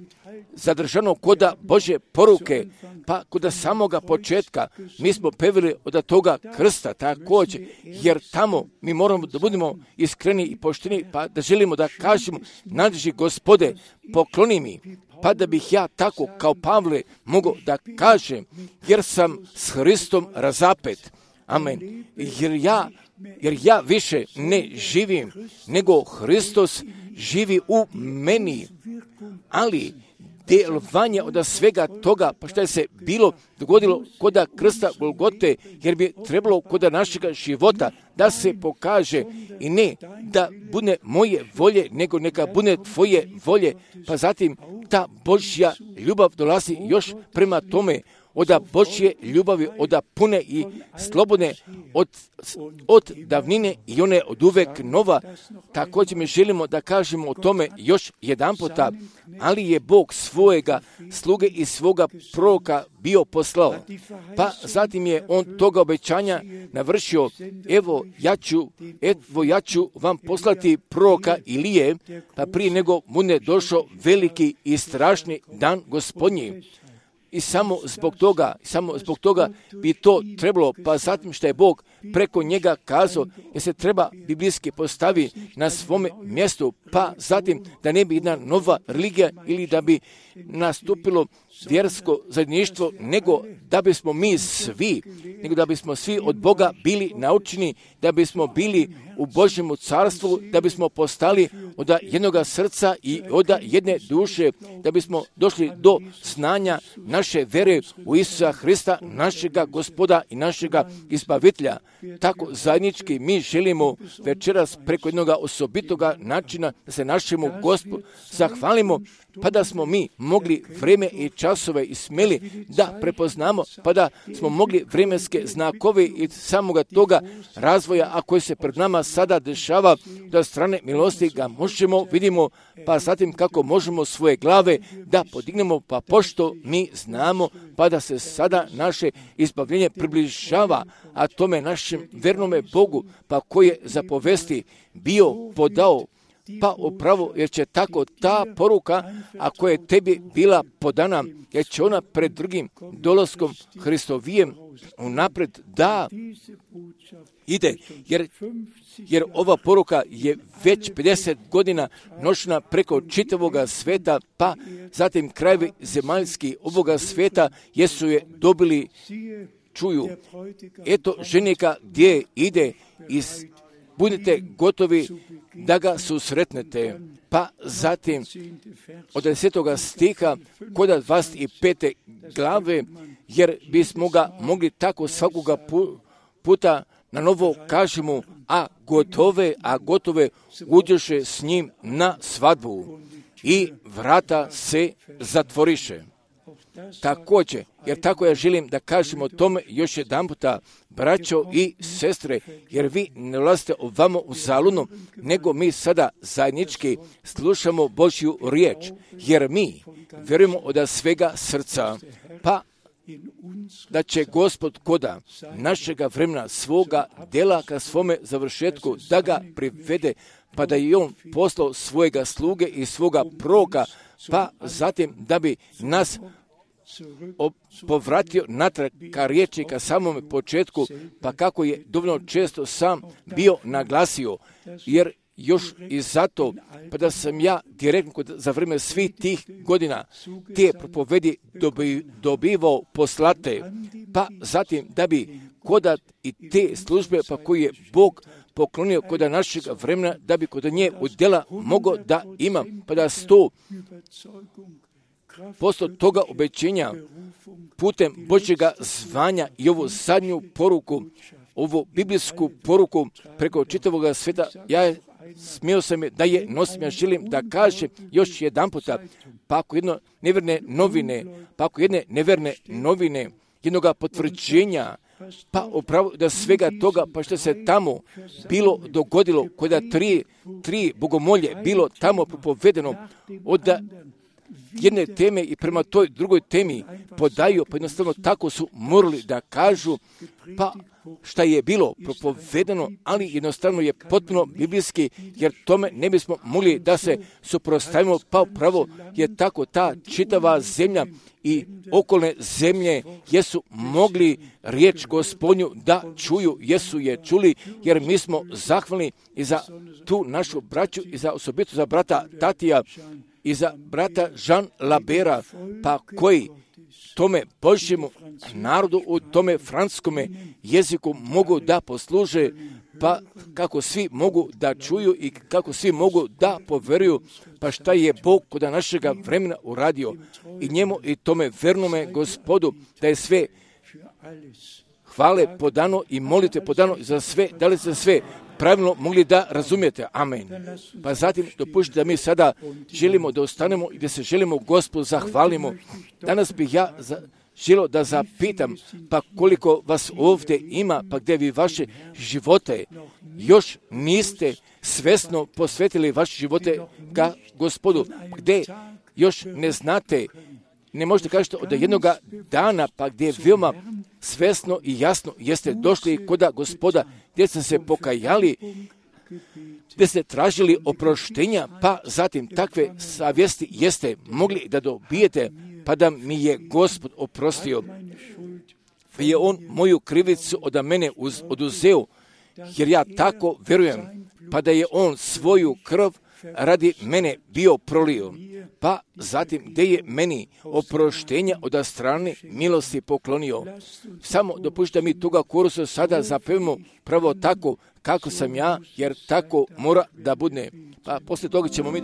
zadržano koda Božje poruke, pa koda samoga početka. Mi smo pevili od toga krsta također, jer tamo mi moramo da budemo iskreni i pošteni, pa da želimo da kažemo, nadleži Gospode, pokloni mi, pa da bih ja tako kao Pavle mogao da kažem, jer sam s Hristom razapet. Amen. Jer ja, jer ja više ne živim, nego Hristos živi u meni. Ali djelovanje od svega toga, pa što je se bilo dogodilo koda krsta Golgote, jer bi trebalo koda našega života da se pokaže i ne da bude moje volje, nego neka bude tvoje volje, pa zatim ta Božja ljubav dolazi još prema tome, od Božje ljubavi, od pune i slobodne, od, od davnine i one od uvek nova. Također mi želimo da kažemo o tome još jedan puta, ali je Bog svojega sluge i svoga proroka bio poslao. Pa zatim je on toga obećanja navršio, evo ja ću, evo ja ću vam poslati proroka Ilije, pa prije nego bude došao veliki i strašni dan Gospodnji. I samo zbog toga, samo zbog toga bi to trebalo, pa zatim što je Bog preko njega kazao, jer se treba biblijski postavi na svome mjestu, pa zatim da ne bi jedna nova religija ili da bi nastupilo vjersko zajedništvo, nego da bismo mi svi, nego da bismo svi od Boga bili naučeni, da bismo bili u Božjemu carstvu, da bismo postali od jednoga srca i od jedne duše, da bismo došli do znanja naše vere u Isusa Hrista, našega Gospoda i našega Izbavitelja. Tako zajednički mi želimo večeras preko jednog osobitoga načina da se našemu Gospodu zahvalimo, pa da smo mi mogli vreme i časove i smeli da prepoznamo, pa da smo mogli vremenske znakove i samoga toga razvoja, a koji se pred nama sada dešava, da strane milosti ga možemo, vidimo, pa zatim kako možemo svoje glave da podignemo, pa pošto mi znamo, pa da se sada naše izbavljenje približava, a tome našem vernome Bogu, pa koji je zapovesti bio podao, pa upravo, jer će tako ta poruka, ako je tebi bila podana, jer će ona pred drugim dolaskom Hristovijem unapred da ide, jer, jer ova poruka je već pedeset godina nošena preko čitavoga sveta, pa zatim krajevi zemaljski ovoga sveta jesu je dobili, čuju. Eto ženika gdje ide iz budite gotovi da ga susretnete. Pa zatim od desetoga stiha kod dvadeset pete glave, jer bismo ga mogli tako svakoga puta na novo kažemo, a gotove, a gotove uđoše s njim na svadbu i vrata se zatvoriše. Također, jer tako ja želim da kažemo tome još jedan puta, braćo i sestre, jer vi ne ulazite ovamo u zaludno, nego mi sada zajednički slušamo Božju riječ, jer mi vjerujemo od svega srca, pa da će Gospod koda našega vremena svoga dela ka svome završetku da ga privede, pa da je on poslao svojega sluge i svoga proroka, pa zatim da bi nas povratio natrag ka riječi, ka samome početku, pa kako je dovoljno često sam bio naglasio, jer još i zato, pa da sam ja direktno za vrijeme svih tih godina te propovedi dobi, dobivao poslate, pa zatim da bi koda i te službe, pa koji je Bog poklonio kod našeg vremena, da bi kod nje u djela mogao da imam, pa da sto posto toga obećenja putem Božjega zvanja i ovu zadnju poruku, ovu biblijsku poruku preko čitavoga sveta, ja smio sam da je nosim, ja želim da kažem još jedan puta, pa ako jedno neverne novine, pa ako jedne neverne novine, jednoga potvrđenja, pa upravo da svega toga, pa što se tamo bilo dogodilo, kada tri, tri bogomolje bilo tamo propovedeno, od jedne teme i prema toj drugoj temi podaju, pa jednostavno tako su morali da kažu, pa šta je bilo propovedeno, ali jednostavno je potpuno biblijski, jer tome ne bismo mogli da se suprotstavimo, pa upravo je tako ta čitava zemlja i okolne zemlje jesu mogli riječ Gospodnju da čuju, jesu je čuli, jer mi smo zahvalni i za tu našu braću i za osobito za brata Tatija i za brata Jean Labera, pa koji tome Božjemu narodu u tome francuskome jeziku mogu da posluže, pa kako svi mogu da čuju i kako svi mogu da poveruju, pa šta je Bog kod našega vremena uradio i njemu i tome vernome Gospodu, da je sve hvale podano i molite podano za sve, da li se sve pravilno mogli da razumijete. Amen. Pa zatim dopušite da mi sada želimo da ostanemo i da se želimo Gospodu zahvalimo. Danas bih ja za, želio da zapitam, pa koliko vas ovdje ima, pa gdje vi vaše živote još niste svesno posvetili vaše živote ka Gospodu, gdje još ne znate, ne možete kažete od jednoga dana, pa gdje veoma svesno i jasno jeste došli kod Gospoda, gdje ste se pokajali, gdje ste tražili oproštenja, pa zatim takve savjesti jeste mogli da dobijete, pa da mi je Gospod oprostio. Pa je on moju krivicu od mene uz, oduzeo, jer ja tako vjerujem, pa da je on svoju krv radi mene bio prolio, pa zatim gdje je meni oproštenje od strane milosti poklonio. Samo dopustite mi toga korusa sada zapevimo pravo tako kako sam ja, jer tako mora da bude. Pa poslije toga ćemo mi...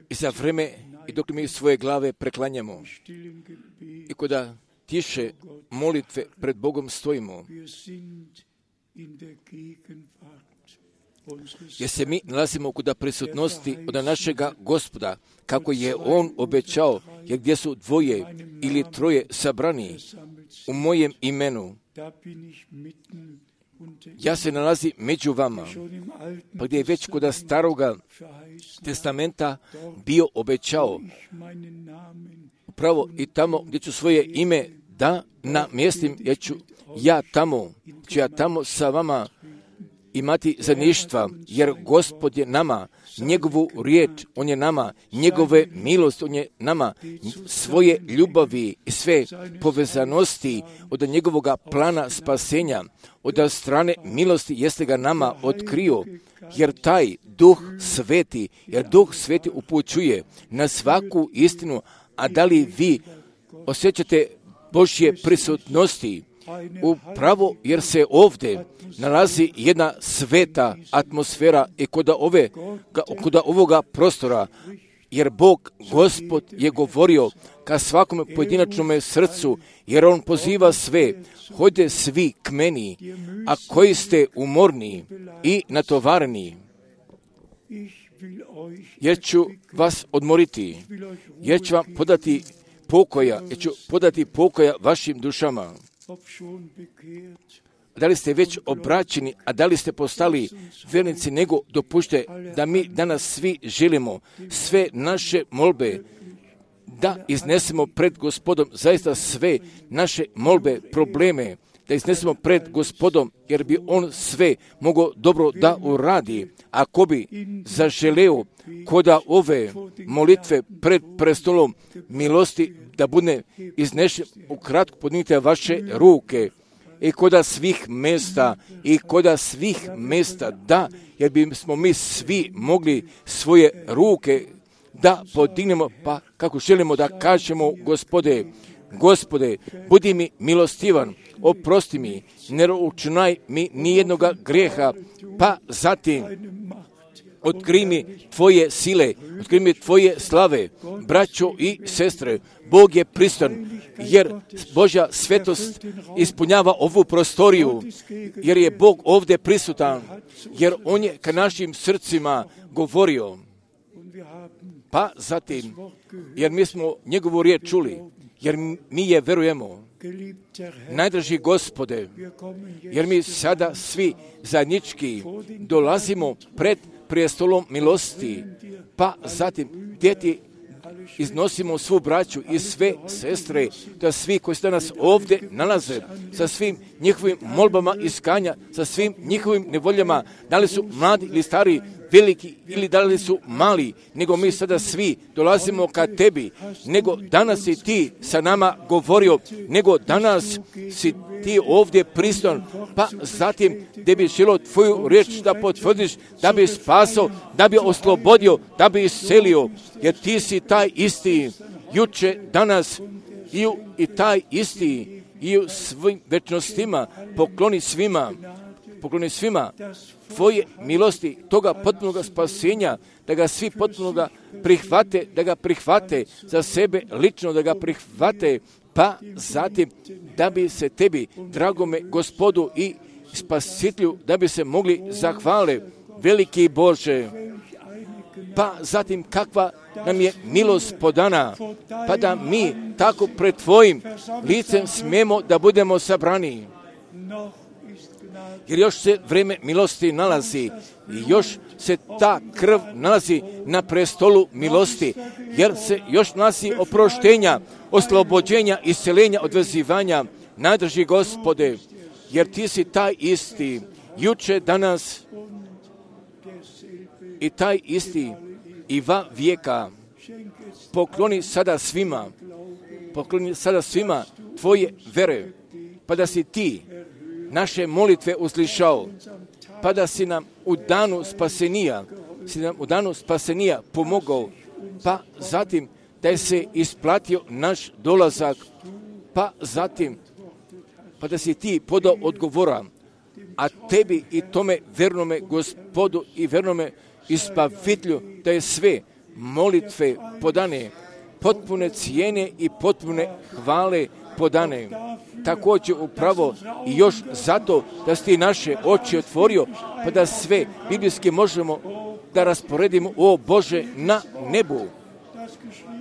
I za vreme, i dok mi svoje glave preklanjamo, i kada tiše molitve pred Bogom stojimo, jer se mi nalazimo kod prisutnosti od našega Gospoda, kako je On obećao, jer gdje su dvoje ili troje sabrani u mojem imenu, ja se nalazi među vama, pa gdje je već kod staroga testamenta bio obećao, upravo i tamo gdje ću svoje ime da namjestim, jer ću ja tamo, ću ja tamo sa vama imati zajedništva, jer Gospod je nama, njegovu riječ, On je nama, njegove milosti, On je nama, svoje ljubavi i sve povezanosti od njegovog plana spasenja, od strane milosti jeste ga nama otkrio, jer taj Duh Sveti, jer Duh Sveti upućuje na svaku istinu, a da li vi osjećate Božje prisutnosti? Upravo jer se ovdje nalazi jedna sveta atmosfera i kod ove, kod ovoga prostora, jer Bog, Gospod je govorio ka svakom pojedinačnom srcu, jer On poziva sve, hojde svi k meni, a koji ste umorni i natovareni, jer ću vas odmoriti, jer ću vam podati pokoja, jer ću podati pokoja vašim dušama. Da li ste već obraćeni, a da li ste postali vjernici, nego dopušte da mi danas svi želimo sve naše molbe da iznesemo pred Gospodom, zaista sve naše molbe, probleme, da iznesemo pred Gospodom, jer bi On sve mogao dobro da uradi. Ako bi zaželeo koda ove molitve pred prestolom milosti da bude iznešen, ukratko podignite vaše ruke i koda svih mjesta, i koda svih mjesta, da, jer bismo mi svi mogli svoje ruke da podignemo, pa kako želimo da kažemo, Gospode, Gospode, budi mi milostivan, oprosti mi, ne računaj mi nijednoga grijeha, pa zatim otkri mi Tvoje sile, otkri mi Tvoje slave, braćo i sestre. Bog je pristan, jer Božja svetost ispunjava ovu prostoriju, jer je Bog ovdje prisutan, jer On je ka našim srcima govorio. Pa zatim, jer mi smo njegovu riječ čuli, jer mi je verujemo. Najdraži Gospode, jer mi sada svi zajednički dolazimo pred prijestolom milosti, pa zatim gdje ti iznosimo svu braću i sve sestre, da svi koji se danas ovdje nalaze, sa svim njihovim molbama iskanja, sa svim njihovim nevoljama, da li su mladi ili stari, veliki ili da li su mali, nego mi sada svi dolazimo ka Tebi, nego danas si Ti sa nama govorio, nego danas si Ti ovdje prisutan, pa zatim gdje bi želio Tvoju riječ da potvrdiš, da bi spasao, da bi oslobodio, da bi iscelio, jer Ti si taj isti, juče, danas i, u, i taj isti i u svim večnostima. Pokloni svima, pokloni svima Tvoje milosti, toga potpunog spasenja, da ga svi potpuno prihvate, da ga prihvate za sebe lično, da ga prihvate, pa zatim da bi se Tebi, dragome Gospodu i Spasitelju, da bi se mogli zahvale, veliki Bože. Pa zatim kakva nam je milost podana, pa da mi tako pred Tvojim licem smijemo da budemo sabrani. Jer još se vrijeme milosti nalazi i još se ta krv nalazi na prestolu milosti, jer se još nalazi oproštenja, oslobođenja, isceljenja, odvezivanja. Nadrži Gospode, jer ti si taj isti, juče, danas i taj isti i va vijeka. Pokloni sada svima, pokloni sada svima tvoje vere, pa da si ti naše molitve uslišao, pa da si nam u danu spasenija, si nam u danu spasenija pomogao, pa zatim da je se isplatio naš dolazak, pa zatim pa da si ti podao odgovora, a tebi i tome vernome Gospodu i vernome Ispavitelju da je sve molitve podane, potpune cijene i potpune hvale podane. Također upravo i još zato da si ti naše oči otvorio, pa da sve biblijski možemo da rasporedimo, o Bože, na nebu.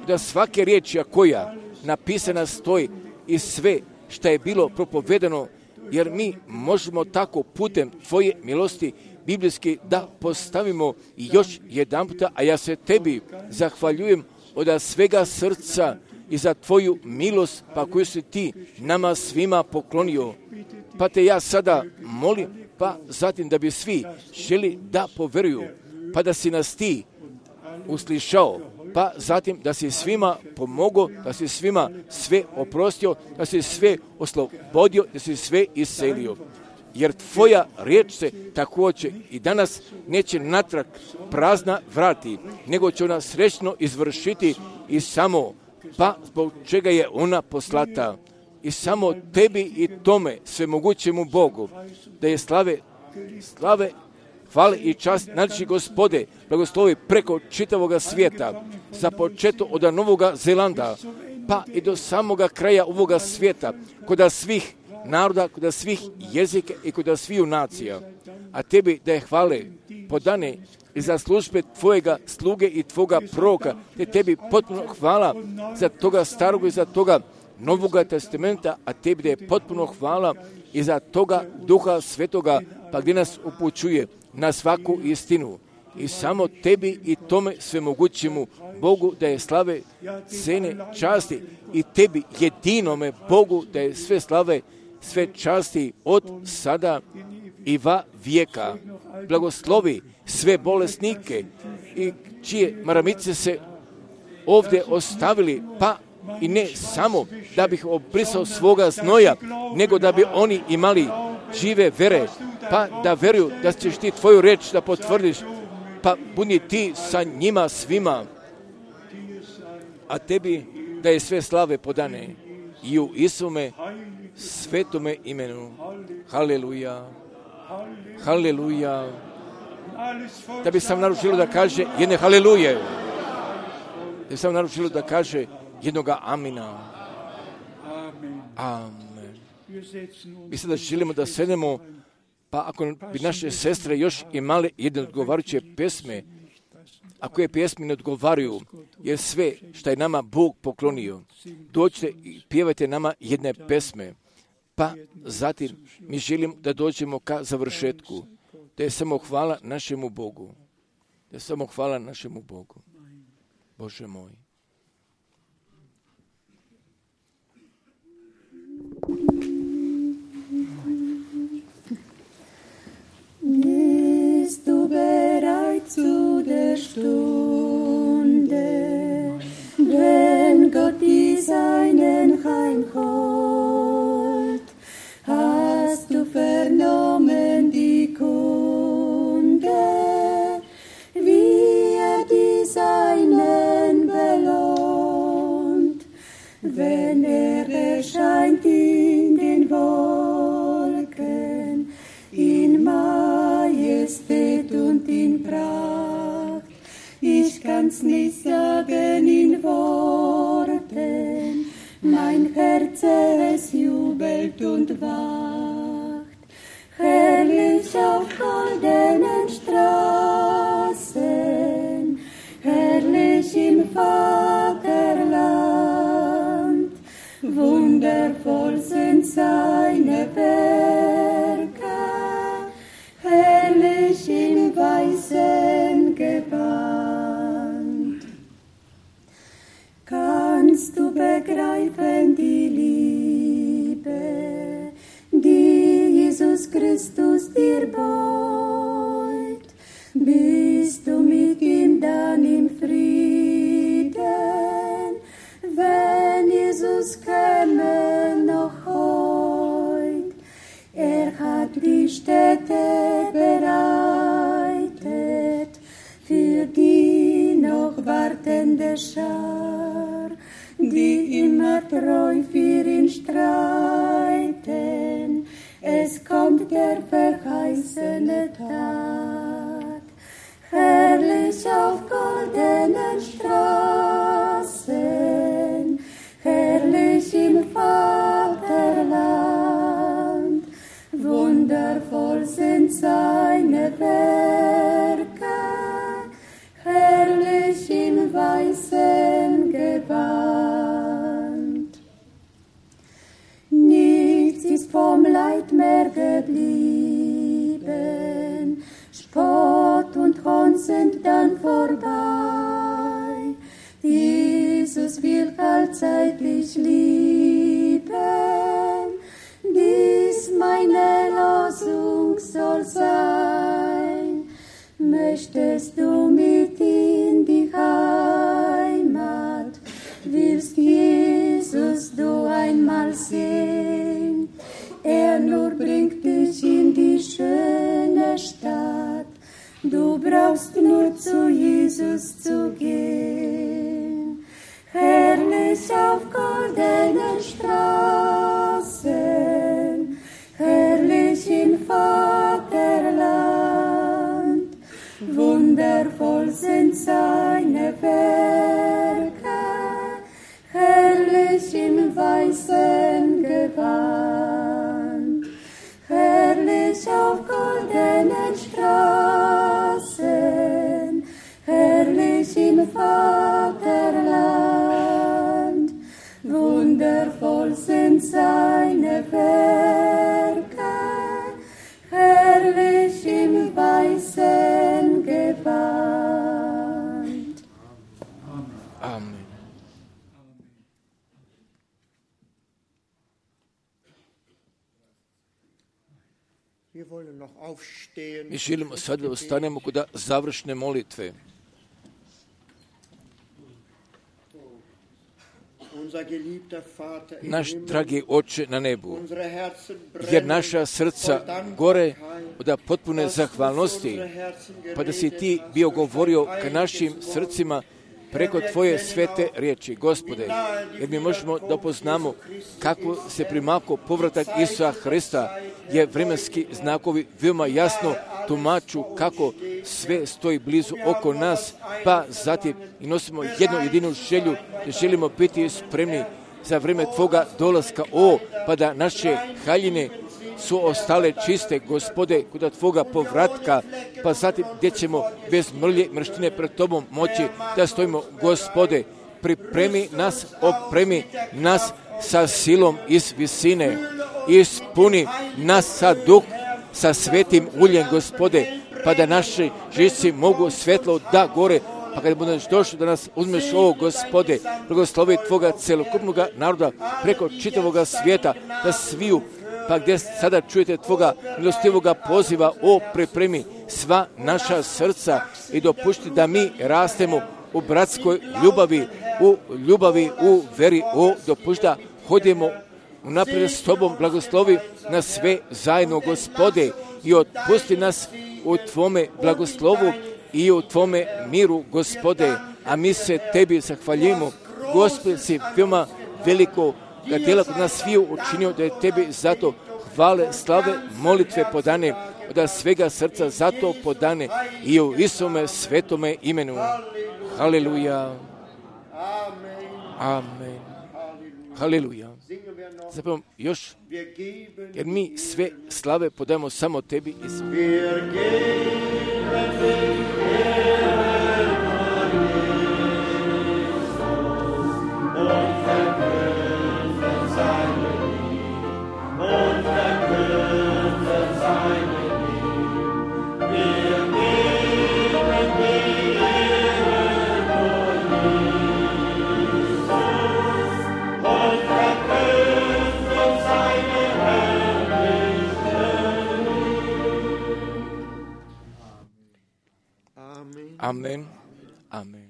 Da svake riječi koja napisana stoji i sve što je bilo propovedano, jer mi možemo tako putem tvoje milosti biblijski da postavimo i još jedan puta, a ja se tebi zahvaljujem od svega srca i za tvoju milost, pa koju si ti nama svima poklonio. Pa te ja sada molim, pa zatim da bi svi želi da poveruju, pa da si nas ti uslišao, pa zatim da si svima pomogao, da si svima sve oprostio, da si sve oslobodio, da si sve iscelio. Jer tvoja riječ se također i danas neće natrag prazna vrati, nego će ona srećno izvršiti i samo, pa zbog čega je ona poslata. I samo tebi i tome svemogućemu Bogu, da je slave, slave, hvale i čast naši Gospode, blagoslovi preko čitavoga svijeta, za početo od Novoga Zelanda, pa i do samoga kraja ovoga svijeta, kod svih naroda, kod svih jezika i kod sviju nacija. A tebi da je hvale podane i za službe tvojega sluge i tvoga proroka, te tebi potpuno hvala za toga starog i za toga Novoga testamenta, a tebi da je potpuno hvala i za toga Duha Svetoga, pa gdje nas upućuje na svaku istinu. I samo tebi i tome svemogućemu Bogu da je slave, cene, časti, i tebi jedinome Bogu da je sve slave, sve časti od sada i va vijeka. Blagoslovi sve bolesnike i čije maramice se ovdje ostavili, pa i ne samo da bih obrisao svoga znoja, nego da bi oni imali žive vere, pa da veruju da ćeš ti tvoju reč da potvrdiš, pa budi ti sa njima svima, a tebi da je sve slave podane i u Isume svetome imenu. Haleluja, haleluja. Da bi sam naručilo da kaže jedne haleluje, da bi sam naručilo da kaže jednoga amina. Amen. Mi sada želimo da sedemo, pa ako bi naše sestre još imale jedne odgovarajuće pesme, ako je pjesme ne odgovaraju, jer sve što je nama Bog poklonio, dođite i pjevajte nama jedne pesme, pa zatim mi želimo da dođemo ka završetku, da je samo hvala našemu Bogu, da je samo hvala našemu Bogu. Bože moj. Bist du bereit zu der Stunde, wenn Gott die Seinen heimholt? Hast du vernommen die Kunde, wie er die Seinen belohnt, wenn er erscheint in den Wolken, in Majestät und in Pracht? Ich kann's nicht sagen in Worten, mein Herz es jubelt und wacht. Herrlich auf goldenen Straßen, herrlich im Vaterland, wundervoll sind seine Werke, begreifen die Liebe, die Jesus Christus dir beut. Bist du mit ihm dann im Frieden, wenn Jesus käme noch heut. Er hat die Städte bereitet für die noch wartende Schar, die immer treu für ihn streiten. Es kommt der verheißene Tag, herrlich auf goldenen Straßen, herrlich im Vaterland. Wundervoll sind seine Werke, herrlich im weißen Gewand. Nichts ist vom Leid mehr geblieben, Spott und Hohn sind dann vorbei. Jesus will allzeitlich lieben, dies meine Losung soll sein. Möchtest du mit in die Heimat, willst Jesus du einmal sehen? Er nur bringt dich in die schöne Stadt, du brauchst nur zu Jesus zu gehen. Herrlich auf goldenen Straßen, herrlich im Vaterland. Wundervoll sind seine Werke, herrlich im weißen Gewand. Herrlich auf goldenen Straßen, herrlich im Vaterland. Wundervoll sind seine Werke, herrlich im weißen Gewand. Amen. Mi želimo sad da ostanemo kod završne molitve. Naš dragi Oče na nebu, jer naša srca gore od potpune zahvalnosti, pa da si ti bio govorio ka našim srcima preko tvoje svete riječi, Gospode, jer mi možemo da poznamo kako se primako povratak Isusa Hrista, je vremenski znakovi veoma jasno tumaču kako sve stoji blizu oko nas, pa zatim i nosimo jednu jedinu želju da želimo biti spremni za vrijeme tvoga dolaska, o, pa da naše haljine su ostale čiste, Gospode, kod tvoga povratka, pa zatim gdje ćemo bez mrlje mrštine pred tobom moći da stojimo, Gospode, pripremi nas, opremi nas sa silom iz visine, ispuni nas sa duh, sa svetim uljem, Gospode, pa da naši živci mogu svetlo da gore, pa kada budeš došao da nas uzmeš, o Gospode, blagoslovi tvoga celokupnog naroda preko čitavoga svijeta, da sviju, pa gdje sada čujete tvoga milostivoga poziva, o pripremi sva naša srca i dopušti da mi rastemo u bratskoj ljubavi, u ljubavi, u veri, o dopušti da hodimo unaprijed s tobom, blagoslovi na sve zajedno, Gospode, i otpusti nas u tvome blagoslovu i u tvome miru, Gospode, a mi se tebi zahvaljujemo. Gospod, si veoma veliko da djela kod nas sviju učinio, da je tebi zato hvale, slave, molitve podane, da svega srca zato podane i u Isome svetome imenu. Haleluja. Amen. Haleluja. Zapravo još, jer mi sve slave podajemo samo tebi, Isuse. Amen. Amen.